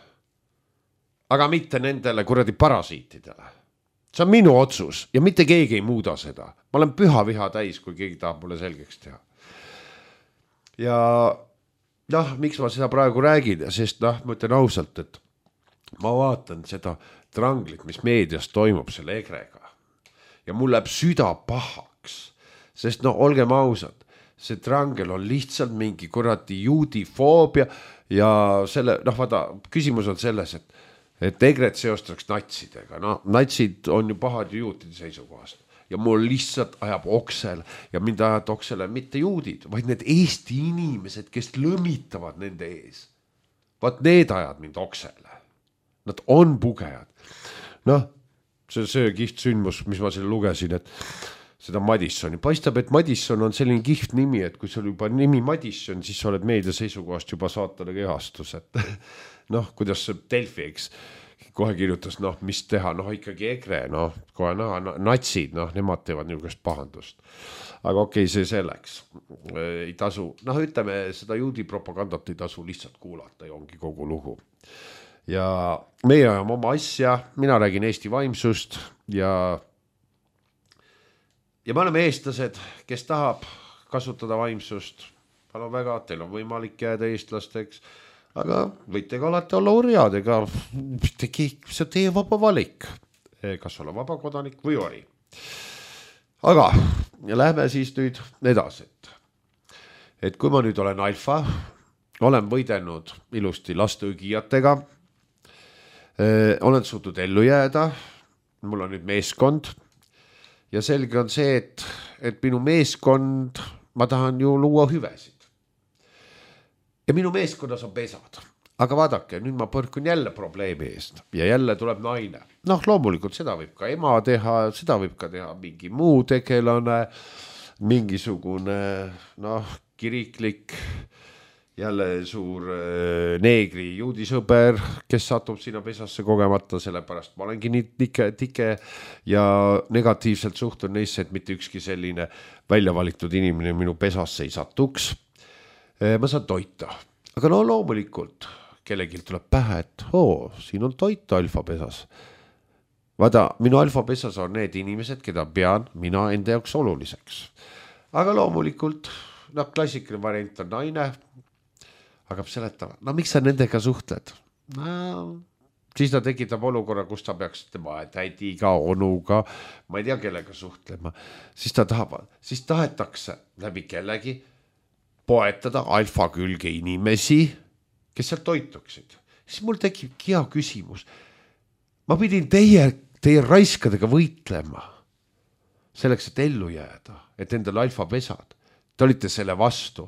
Aga mitte nendele kuradi parasiitidele. See on minu otsus ja mitte keegi ei muuda seda. Ma olen püha viha täis, kui keegi tahab mulle selgeks teha. Ja miks ma seda praegu räägin, sest ma ütlen ausalt, et ma vaatan seda tranglit, mis meedias toimub selle egrega ja mul läheb süda pahaks, sest olgem ausad, see trangel on lihtsalt mingi kuradi juudifoobia ja selle, vaata, küsimus on selles, et et EKRE-t seostaks natsidega, no natsid on ju pahad ju juutide seisukohast ja mul lihtsalt ajab oksel ja mind ajab oksele mitte juudid, vaid need Eesti inimesed, kes lõmitavad nende ees. Vaat need ajad mind oksele. Nad on pugejad. Noh, see kihvt sündmus, mis ma selle lugesin, et seda Madissoni. Paistab, et Madisson on selline kihvt nimi, et kui sul juba nimi Madisson, siis sa oled meedia seisukohast juba saatale kehastus, et noh, kuidas see Delfi, eks, kohe kirjutas, noh, mis teha, noh, ikkagi EKRE, noh, kohe natsid, noh, nemad teevad niisugust pahandust. Aga okei, see selleks. Ei tasu, noh, ütleme, seda juudi propagandat ei tasu lihtsalt kuulata ja ongi kogu lugu. Ja meie ajame oma asja, mina räägin Eesti vaimsust ja me oleme eestlased, kes tahab kasutada vaimsust. Palun väga, teil on võimalik jääda eestlasteks, aga võite ka alati olla urjad, ega see teie vaba valik, kas olla vaba kodanik või ori. Aga ja lähme siis nüüd edasi, et kui ma nüüd olen alfa, olen võidelnud ilusti lasteõgijatega, olen suutnud ellu jääda, mul on nüüd meeskond ja selge on see, et minu meeskond, ma tahan ju luua hüvesid. Ja minu meeskonnas on pesad. Aga vaadake, nüüd ma põrkun jälle probleemi eest ja jälle tuleb naine. Noh, loomulikult seda võib ka ema teha, seda võib ka teha mingi muu tegelane, mingisugune, noh, kiriklik, jälle suur neegri juudisõber, kes satub sinna pesasse kogemata, sellepärast ma olengi nii tike ja negatiivselt suhtun neisse, et mitte ükski selline välja valitud inimene minu pesasse ei satuks. Ma saan toita, aga no loomulikult kellelgi tuleb pähe, et siin on toit alfapesas. Vaada, minu alfapesas on need inimesed, keda pean mina enda jaoks oluliseks. Aga loomulikult, noh, klassikaline variant on naine, hakkab seletama, no miks sa nendega suhtled? No, siis ta tekitab olukorra, kus ta peaks tema tädiga, onuga, ma ei tea, kellega suhtlema. Siis tahetakse läbi kellegi poetada alfa külge inimesi, kes seal toituksid. Siis mul tekib hea küsimus. Ma pidin teie raiskadega võitlema selleks, et ellu jääda, et endal alfapesad. Te olite selle vastu.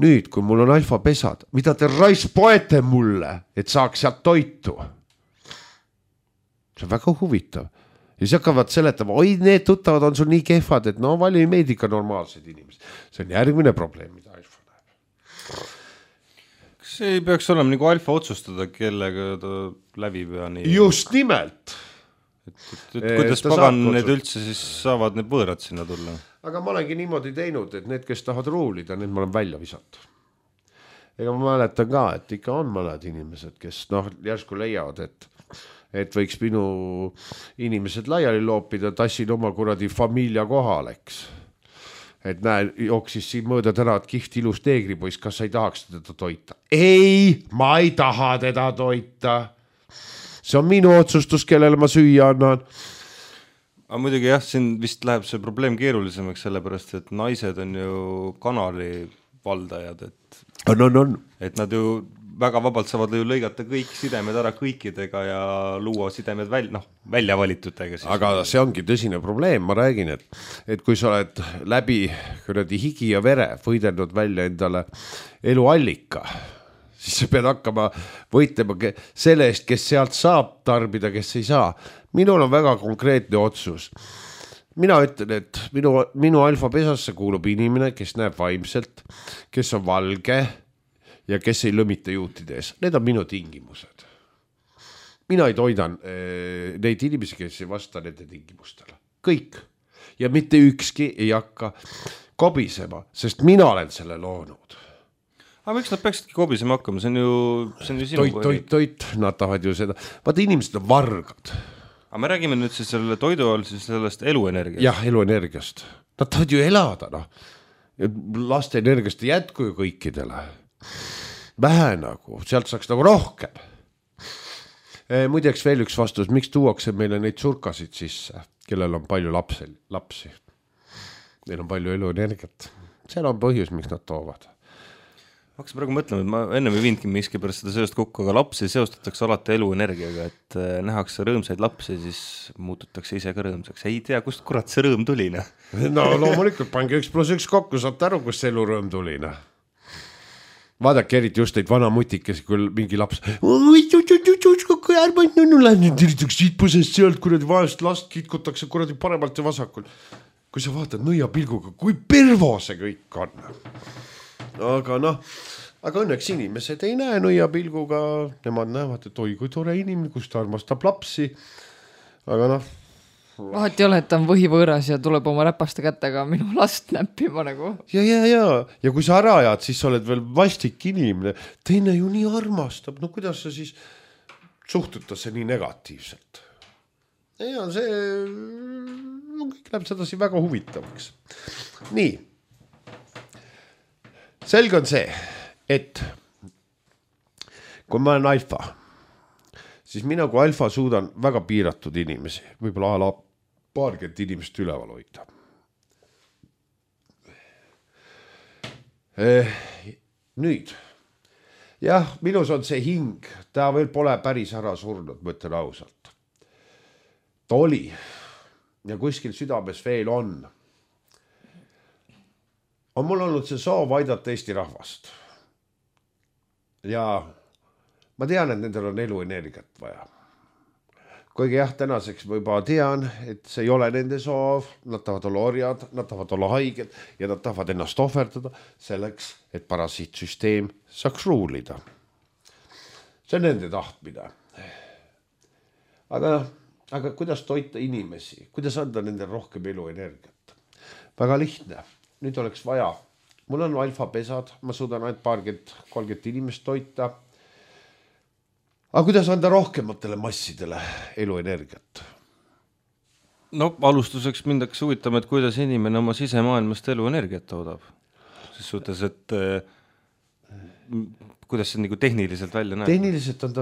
Nüüd, kui mul on alfapesad, mida te poete mulle, et saaks sealt toitu? See on väga huvitav. Ja siis hakkavad seletama, oi, need tuttavad on sul nii kehvad, et no vali ei meedi ka normaalsed inimesed. See on järgmine probleem, mida alfa näeb. Kas ei peaks olema nagu alfa otsustada, kellega ta läbib ja nii? Just nimelt. Et kuidas pagan need üldse siis saavad need võõrad sinna tulla? Aga ma olengi niimoodi teinud, et need, kes tahavad ruulida, need ma olen välja visata. Ega ma mäletan ka, et ikka on mõned inimesed, kes järsku leiavad, et võiks minu inimesed laiali loopida, tassin oma kuradi familia kohaleks. Et näe, jooksis siin mööda tänavat kihvt ilus neegripoiss, kas sa ei tahaks teda toita? Ei, ma ei taha teda toita. See on minu otsustus, kellele ma süüa annan. Aga muidugi jah, siin vist läheb see probleem keerulisemaks, sellepärast, et naised on ju kanali valdajad, et nad ju väga vabalt saavad ju lõigata kõik sidemed ära kõikidega ja luua sidemed välja valitutega. Aga see ongi tõsine probleem, ma räägin, et kui sa oled läbi higi ja vere võidelnud välja endale eluallika, siis sa pead hakkama võitlema selle eest, kes sealt saab tarbida, kes ei saa. Minul on väga konkreetne otsus. Mina ütlen, et minu alfapesasse kuulub inimene, kes näeb vaimselt, kes on valge ja kes ei lõmita juutides. Need on minu tingimused. Mina ei toidan neid inimesi, kes ei vasta nende tingimustele. Kõik. Ja mitte ükski ei hakka kobisema, sest mina olen selle loonud. Aga miks nad peaksidki kobisema hakkama? See on ju sinu toit, nad tahavad ju seda. Vaata, inimesed on vargad. Aga me räägime nüüd siis selle toidu all siis sellest eluenergiast. Jah, eluenergiast. Nad tahavad ju elada, laste energiast ei jätku ju kõikidele. Vähe sealt saaks rohkem. Muideks veel üks vastus, miks tuuakse meile neid surkasid sisse, kellel on palju lapsi. Neil on palju eluenergiat. Seal on põhjus, miks nad toovad. hakkasin praegu mõtlema, et ma ennem ei viinudki miski pärast seda seost kokku, aga lapsi seostatakse alati eluenergiaga, et nähakse rõõmsaid lapsi, siis muututakse ise ka rõõmsaks. Ei tea, kust kurat see rõõm tuli, noh. No loomulikult, pange 1+1 kokku, saate aru, kust see elurõõm tuli, noh. Vaadake eriti just neid vana mutikesi, kui mingi laps kui ärmad nunnu läinud, üritaks sitpusest sealt, kuradi vaest last kitkutakse kuradi paremalt ja vasakul. Kui sa vaatad nõia pilguga, kui pervo see kõik on. Aga noh, aga õnneks inimesed ei näe nõia pilguga, nemad näevad, et oi, kui tore inimene, kus ta armastab lapsi. Aga noh. Vahet ei ole, et ta on võhivõõras ja tuleb oma räpaste kätega minu last näppima nagu. Ja kui sa ära ajad, siis sa oled veel vastik inimene. Teine ju nii armastab. No kuidas sa siis suhtutakse nii negatiivselt? Ja see kõik läheb sedasi väga huvitavaks. Nii. Selge on see, et kui ma olen alfa, siis mina kui alfa suudan väga piiratud inimesi, võib-olla ala paarkümmend inimest üleval hoida. Nüüd, jah, minus on see hing, ta veel pole päris ära surnud, ma ütlen ausalt. Ta oli ja kuskil südames veel on mul olnud see soov aidata Eesti rahvast. Ja ma tean, et nendel on eluenergiat vaja. Kuigi jah, tänaseks ma juba tean, et see ei ole nende soov, nad tahavad olla orjad, nad tahavad olla haiged ja nad tahavad ennast ohverdada selleks, et parasiitsüsteem saaks ruulida. See on nende tahtmine. Aga kuidas toita inimesi? Kuidas anda nendel rohkem eluenergiat? Väga lihtne. Nüüd oleks vaja. Mul on alfapesad, ma suudan ainult 30 inimest toita. Aga kuidas anda rohkematele massidele eluenergiat? No alustuseks mindaks huvitama, et kuidas inimene oma sisemaailmast eluenergiat toodab. Siis suhtes, et kuidas see nagu tehniliselt välja näeb? Tehniliselt on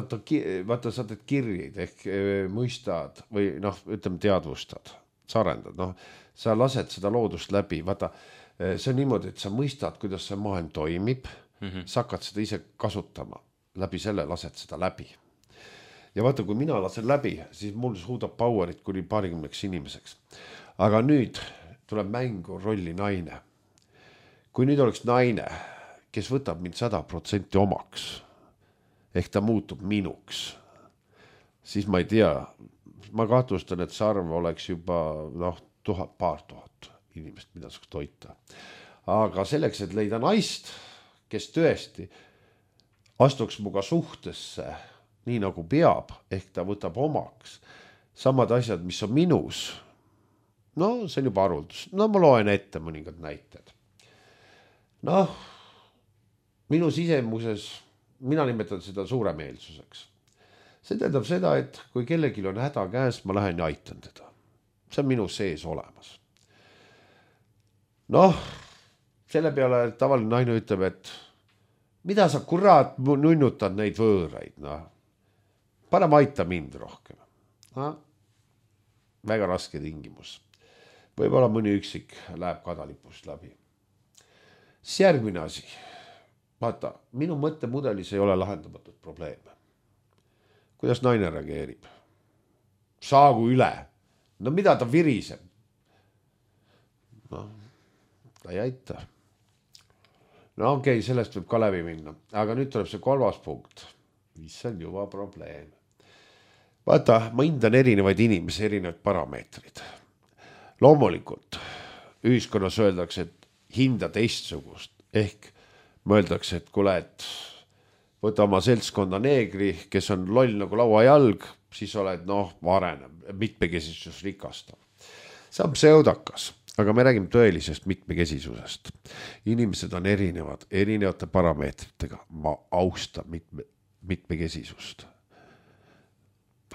vaata saadad kirjeid ehk mõistad või ütleme teadvustad, sa arendad. Sa lased seda loodust läbi, vaata see on niimoodi, et sa mõistad, kuidas see maailm toimib, sa hakkad seda ise kasutama, läbi selle lased seda läbi. Ja vaata, kui mina lasen läbi, siis mul suudab powerit kuni 20 inimeseks. Aga nüüd tuleb mängu rolli naine. Kui nüüd oleks naine, kes võtab mind 100% omaks, ehk ta muutub minuks, siis ma ei tea, ma kahtlustan, et see arv oleks juba paar tuhat inimest, mida saaks toita. Aga selleks, et leida naist, kes tõesti astuks muga suhtesse nii nagu peab, ehk ta võtab omaks samad asjad, mis on minus. See on juba aruldus. Ma loen ette mõningad näited. Minu sisemuses, mina nimetan seda suuremeelsuseks. See tähendab seda, et kui kellelgi on häda käes, ma lähen ja aitan teda. See on minu sees olemas. Selle peale tavaline naine ütleb, et mida sa kurat nunnutad neid võõraid, Parem aita mind rohkem. Väga raske tingimus. Võib-olla mõni üksik läheb kadalipust läbi. Siis järgmine asi. Vaata, minu mõttemudelis ei ole lahendamatud probleeme. Kuidas naine reageerib? Saagu üle. Mida ta viriseb? Ta ei aita. Okei, sellest võib ka läbi minna. Aga nüüd tuleb see 3. punkt. Mis on juba probleem. Vaata, ma hindan erinevaid inimesi, erinevaid parameetrid. Loomulikult ühiskonnas öeldakse, et hinda teistsugust. Ehk mõeldakse, et kuule, et võta oma seltskonda neegri, kes on loll nagu lauajalg, siis oled arenev, mitmekesisus rikastav. See on pseudakas, aga me räägime tõelisest mitmekesisusest. Inimesed on erinevad, erinevate parameetritega. Ma austan mitmekesisust.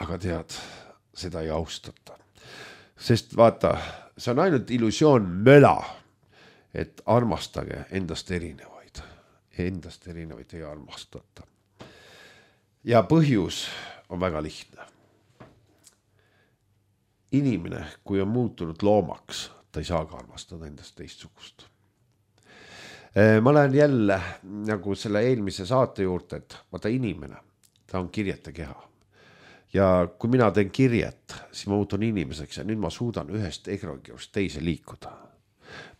Aga tead, seda ei austata. Sest vaata, see on ainult illusioon möla, et armastage endast erinevaid. Endast erinevaid ei armastata. Ja põhjus on väga lihtne. Inimene, kui on muutunud loomaks, ta ei saa ka armastada endast teistsugust. ma lähen jälle nagu selle eelmise saate juurde, et vaata inimene, ta on kirjete keha. Ja kui mina teen kirjet, siis ma muutun inimeseks ja nüüd ma suudan ühest egregorist teise liikuda.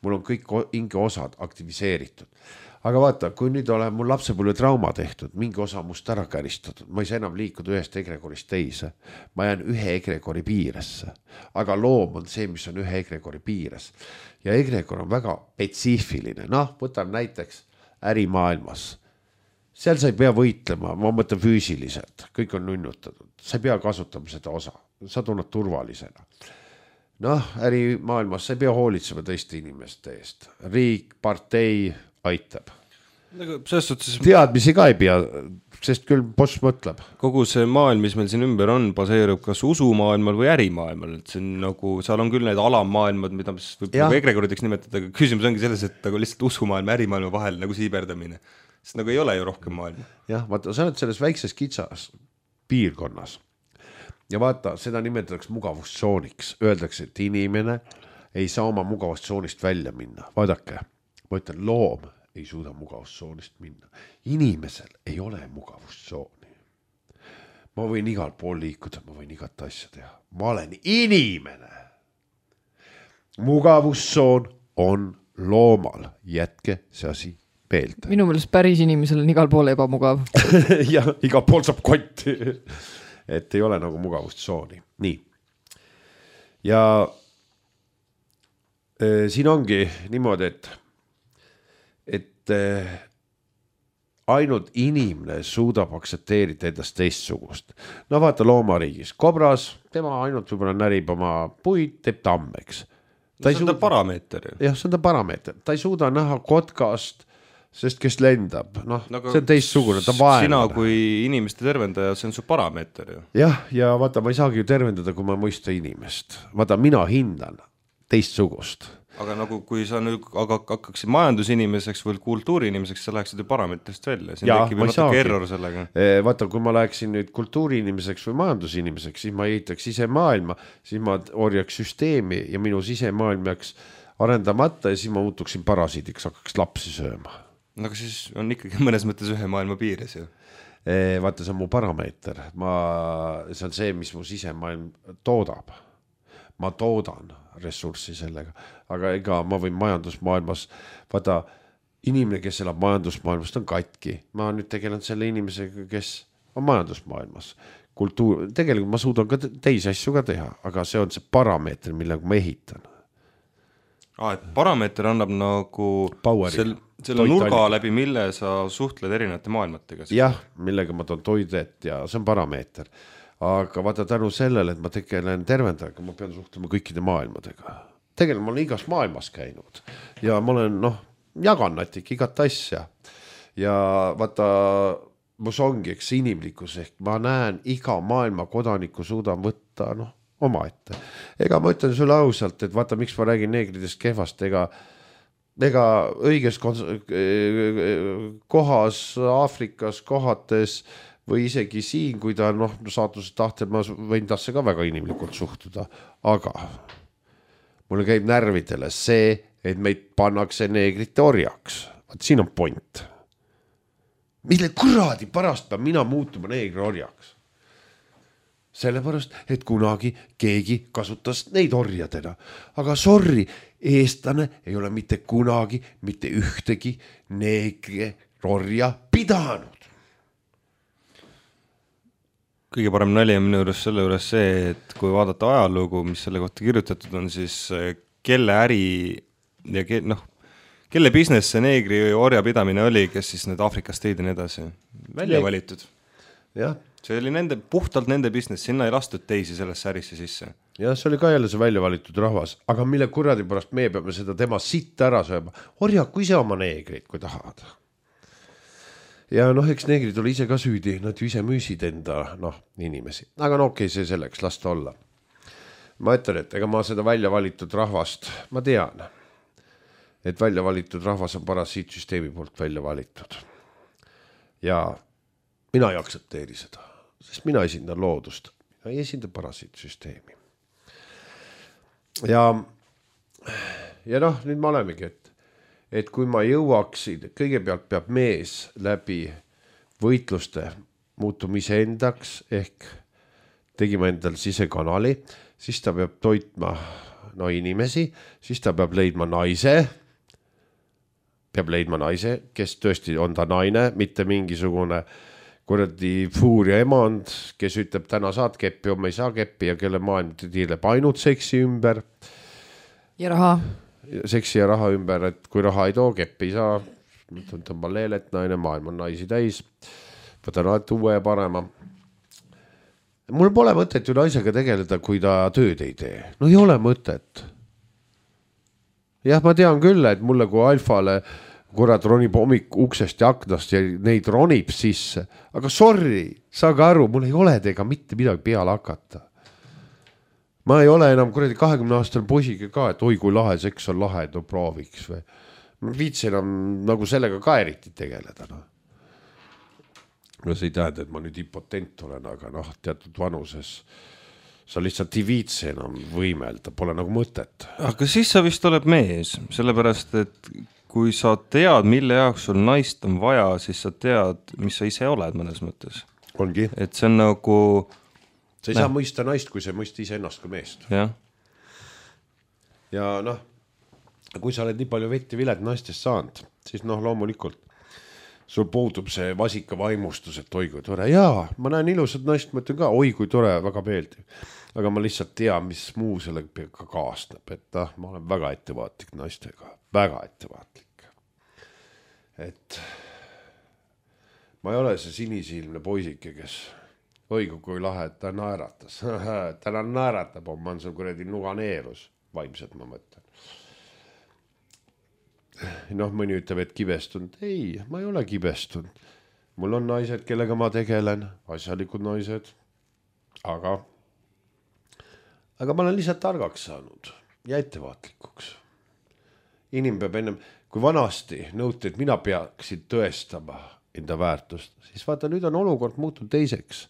Mul on kõik hingeosad aktiviseeritud. Aga vaata, kui nüüd olen mul lapsepõlve trauma tehtud, mingi osa must ära käristatud, ma ei saa enam liikuda ühest egregorist teise. Ma jään ühe egregori piiresse. Aga loom on see, mis on ühe egregori piires. Ja egregor on väga spetsiifiline. Noh, võtan näiteks ärimaailmas. Seal sa ei pea võitlema, ma mõtlen füüsiliselt. Kõik on nunnutatud. Sa ei pea kasutama seda osa. Sa tunned turvalisena. Noh, ärimaailmas sa ei pea hoolitsema teiste inimeste eest. Riik, partei aitab. Teadmisi ka ei pea, sest küll boss mõtleb. Kogu see maailm, mis meil siin ümber on, baseerub kas usumaailmal või ärimaailmal. Et see on nagu, seal on küll need alammaailmad, mida võib egregorideks nimetada, aga küsimus ongi selles, et nagu lihtsalt usumaailma ja ärimaailma vahel nagu siiberdamine. Sest nagu ei ole ju rohkem maailma. Jah, vaata, sa oled selles väikses kitsas piirkonnas. Ja vaata, seda nimetatakse mugavustsooniks. Öeldakse, et inimene ei saa oma mugavustsoonist välja minna. Vaadake. Ma ütlen, loom ei suuda mugavustsoonist minna. Inimesel ei ole mugavustsooni. Ma võin igal pool liikuda, ma võin igat asja teha. Ma olen inimene. Mugavustsoon on loomal. Jätke see asi meelde. Minu meelest päris inimesel on igal pool ebamugav. Ja, igal pool saab kotti. Et ei ole nagu mugavustsooni. Nii. Ja siin ongi niimoodi, et ainult inimene suudab aksepteerida endast teistsugust. No vaata loomariigis. Kobras, tema ainult võib-olla närib oma puid, teeb tammeks. See on ta parameeter. Jah, see on ta parameeter. Ta ei suuda näha kotkast, sest kes lendab. No, see on teistsugune, ta vaenab. Sina kui inimeste tervendaja, see on su parameeter ju. Jah, ja vaata, ma ei saagi ju tervendada, kui ma mõista inimest. Vaata, mina hindan teistsugust. Aga nagu kui sa nüüd hakkaksid majandusinimeseks või kultuuriinimeseks, sa läheksid ju parameetrist välja. Siin tekib ju natuke error sellega. Vaata, kui ma läheksin nüüd kultuuriinimeseks või majandusinimeseks, siis ma ehitaks ise maailma, siis ma orjaks süsteemi ja minu sisemaailm jääks arendamata ja siis ma muutuksin parasiidiks, hakkaks lapsi sööma. Aga siis on ikkagi mõnes mõttes ühe maailma piires ju. Vaata, see on mu parameeter. See on see, mis mu sisemaailm toodab. Ma toodan ressurssi sellega, aga ega ma võin majandusmaailmas, vaata, inimene, kes elab majandusmaailmast on katki. Ma nüüd tegelen selle inimesega, kes on majandusmaailmas. Tegelikult ma suudan ka teisi asju ka teha, aga see on see parameeter, millega ma ehitan. Et parameeter annab nagu selle nurga läbi, mille sa suhtled erinevate maailmatega. Jah, millega ma toon toidet ja see on parameeter. Aga vaata tänu sellele, et ma tegelen tervendajaga, ma pean suhtlema kõikide maailmadega. Tegelikult ma olen igas maailmas käinud ja ma olen, jagan natik igat asja. Ja vaata, mus ongi, eks inimlikkus ehk ma näen iga maailma kodaniku suudan võtta, oma ette. Ega ma ütlen sulle ausalt, et vaata, miks ma räägin neegridest kehvast, ega õiges kohas, Aafrikas, kohates või isegi siin, kui ta saatuse tahtel, ma võin tasse ka väga inimlikult suhtuda, aga mulle käib närvidele see, et meid pannakse neegrite orjaks. Vaat siin on point. Mille kuradi pärast peab mina muutuma neegri orjaks? Sellepärast, et kunagi keegi kasutas neid orjadena. Aga sorry, eestlane ei ole mitte kunagi, mitte ühtegi neegri orja pidanud. Kõige parem nali on minu juures selle juures see, et kui vaadata ajalugu, mis selle kohta kirjutatud on, siis kelle äri ja kelle business see neegri orja pidamine oli, kes siis need Aafrikast tõid ja nii edasi. Välja valitud. Jah. See oli puhtalt nende business, sinna ei lastud teisi sellesse ärisse sisse. Ja see oli ka jälle see välja valitud rahvas, aga mille kuradi pärast meie peame seda tema sitta ära sööma. Orjaku ise oma neegrid, kui tahad. Ja eks neegrid oli ise ka süüdi, nad ju ise müüsid enda inimesi. Aga okei, see selleks, lasta olla. Ma ütlen, et ega ma seda välja valitud rahvast, ma tean, et välja valitud rahvas on parasiitsüsteemi poolt välja valitud. Ja mina ei aktsepteeri seda, sest mina esindan loodust, mina ei esinda parasiitsüsteemi. Ja nüüd me olemegi, et et kui ma jõuaksin, kõigepealt peab mees läbi võitluste muutuma iseendaks ehk tegima endal sisekanali, siis ta peab toitma inimesi, siis ta peab leidma naise, kes tõesti on ta naine, mitte mingisugune kuradi fuuria emand, kes ütleb täna saad keppi, homme ei saa keppi ja kelle maailm tiirleb ainult seksi ümber. Ja raha. Seksi ja raha ümber, et kui raha ei too, keppi ei saa, tõmba leelet, naine, maailm on naisi täis, võtan alati uue ja parema. Mul pole mõtet ju naisega tegeleda, kui ta tööd ei tee. No ei ole mõtet. Jah, ma tean küll, et mulle kui alfale kurat ronib hommik uksest ja aknast ja neid ronib sisse. Aga sorry, saage aru, mul ei ole teiega mitte midagi peale hakata. Ma ei ole enam kuradi 20-aastane poisiga ka, et oi kui lahe seks on lahe, no prooviks või. Ma viitsi enam nagu sellega ka eriti tegeleda. No see ei tähenda, et ma nüüd impotent olen, aga teatud vanuses sa lihtsalt ei viitsi enam võimelda, pole nagu mõtet. Aga siis sa vist oled mees, sellepärast, et kui sa tead, mille jaoks sul naist on vaja, siis sa tead, mis sa ise oled mõnes mõttes. Ongi. Et see on nagu... Sa ei saa mõista naist, kui sa ei mõista ise ennast kui meest. Jah. Ja kui sa oled nii palju vett ja vilet naistest saanud, siis loomulikult sul puudub see vasika vaimustus, et oi kui tore. Jaa, ma näen ilusat naist, ma ütlen ka, oi kui tore, väga meeldiv. Aga ma lihtsalt tean, mis muu sellega ka kaasneb, et ma olen väga ettevaatlik naistega, väga ettevaatlik. Et ma ei ole see sinisilmne poisike, kes oi kui lahe, et ta naeratas. Täna naeratab, ma on seal kuradi nuganeerus, vaimselt ma mõtlen. Mõni ütleb, et kibestunud. Ei, ma ei ole kibestunud. Mul on naised, kellega ma tegelen, asjalikud naised, aga ma olen lihtsalt targaks saanud ja ettevaatlikuks. Inim peab ennem, kui vanasti nõuti, et mina peaksin tõestama enda väärtust, siis vaata, nüüd on olukord muutunud teiseks.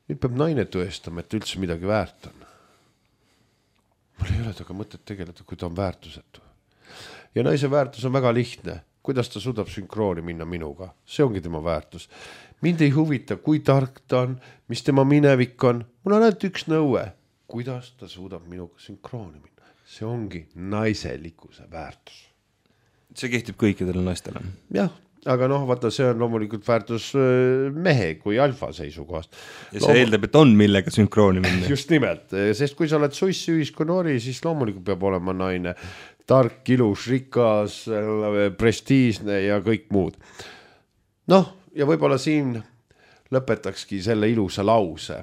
Nüüd peab naine tõestama, et üldse midagi väärt on. Mul ei ole taga mõtet tegeleda, kui ta on väärtusetu. Ja naise väärtus on väga lihtne. Kuidas ta suudab sünkrooni minna minuga? See ongi tema väärtus. Mind ei huvita, kui tark ta on, mis tema minevik on. Mul on ainult üks nõue. Kuidas ta suudab minuga sünkrooni minna? See ongi naiselikkuse väärtus. See kehtib kõikidele naistele. Jah, aga vaata, see on loomulikult väärtus mehe kui alfa seisukohast. Ja see eeldab, et on millega sünkrooni minna. Just nimelt, sest kui sa oled sussi ühiskonnori, siis loomulikult peab olema naine tark, ilus, rikas, prestiisne ja kõik muud. Ja võib-olla siin lõpetakski selle ilusa lause.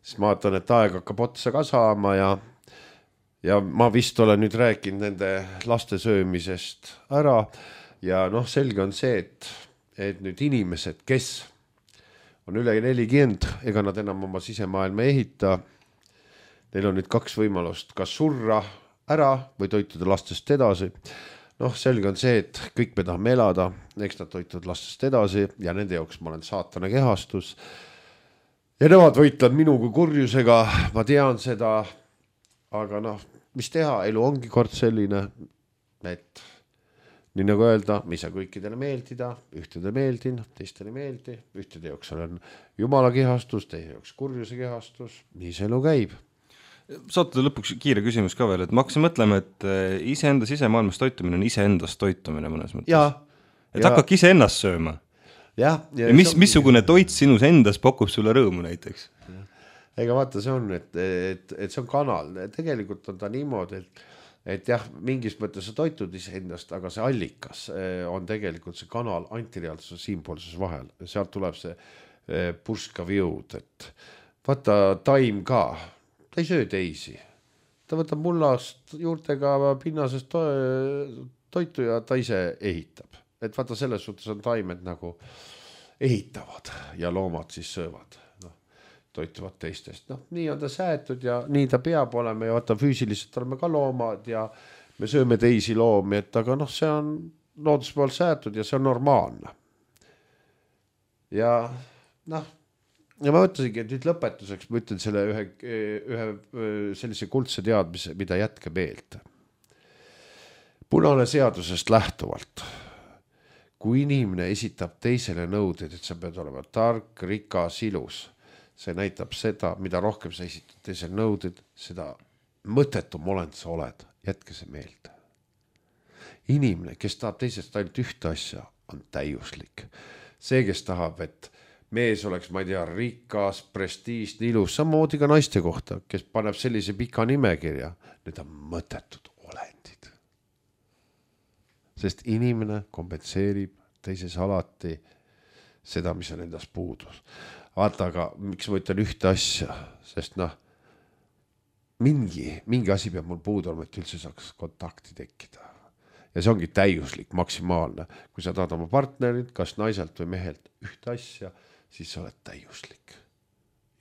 Siis ma vaatan, et aeg hakkab otsa ka saama ja ma vist olen nüüd rääkinud nende laste söömisest ära ja selge on see, et nüüd inimesed, kes on üle 40, ega nad enam oma sisemaailma ehita, neil on nüüd 2 võimalust, kas surra ära või toituda lastest edasi. Selge on see, et kõik me tahame elada, eks nad toituvad lastest edasi ja nende jaoks ma olen saatana kehastus. Ja nemad võitlevad minu kui kurjusega, ma tean seda, aga mis teha, elu ongi kord selline, et nii nagu öelda, me ei saa kõikidele meeldida, ühtede meeldin, teistele meeldi, ühtede jaoks on jumala kehastus, teie jaoks kurjuse kehastus, nii see elu käib. Saate lõpuks kiire küsimus ka veel, et ma hakkasin mõtlema, et iseenda sisemaailmas toitumine on iseendast toitumine mõnes mõttes. Et hakkadki iseennast sööma. Ja missugune toit sinus endas pakub sulle rõõmu näiteks? Ega vaata, see on, et see on kanal. Tegelikult on ta niimoodi, et jah, mingis mõttes sa toitud iseendast, aga see allikas on tegelikult see kanal antireaalsuse siinpoolses vahel. Sealt tuleb see purskav jõud, et vaata taim ka. Ta ei söö teisi. Ta võtab mullast juurtega pinnasest toitu ja ta ise ehitab. Et vaata, selles suhtes on taimed nagu ehitavad ja loomad siis söövad. Toituvad teistest. Nii on ta säätud ja nii ta peab olema ja vaata, füüsiliselt oleme ka loomad ja me sööme teisi loomi, et aga see on looduse pool säätud ja see on normaalne. Ja ja ma mõtlesingi, et nüüd lõpetuseks ma ütlen selle ühe sellise kuldse teadmise, mida jätke meelde. punane seadusest lähtuvalt. Kui inimene esitab teisele nõuded, et sa pead olema tark, rikas, ilus, see näitab seda, mida rohkem sa esitad teisele nõuded, seda mõttetum olend sa oled, jätke see meelde. Inimene, kes tahab teisest ainult ühte asja, on täiuslik. See, kes tahab, et mees oleks, ma ei tea, rikas, prestiižne, ilus, samamoodi ka naiste kohta, kes paneb sellise pika nimekirja, need on mõttetud olendid. Sest inimene kompenseerib teises alati seda, mis on endas puudus. Vaata, aga miks ma ütlen ühte asja, sest mingi asi peab mul puudu olema, et üldse saaks kontakti tekkida. Ja see ongi täiuslik, maksimaalne. Kui sa tahad oma partnerit, kas naiselt või mehelt ühte asja, siis sa oled täiuslik.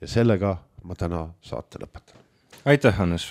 Ja sellega ma täna saate lõpetan. Aitäh, Hannes!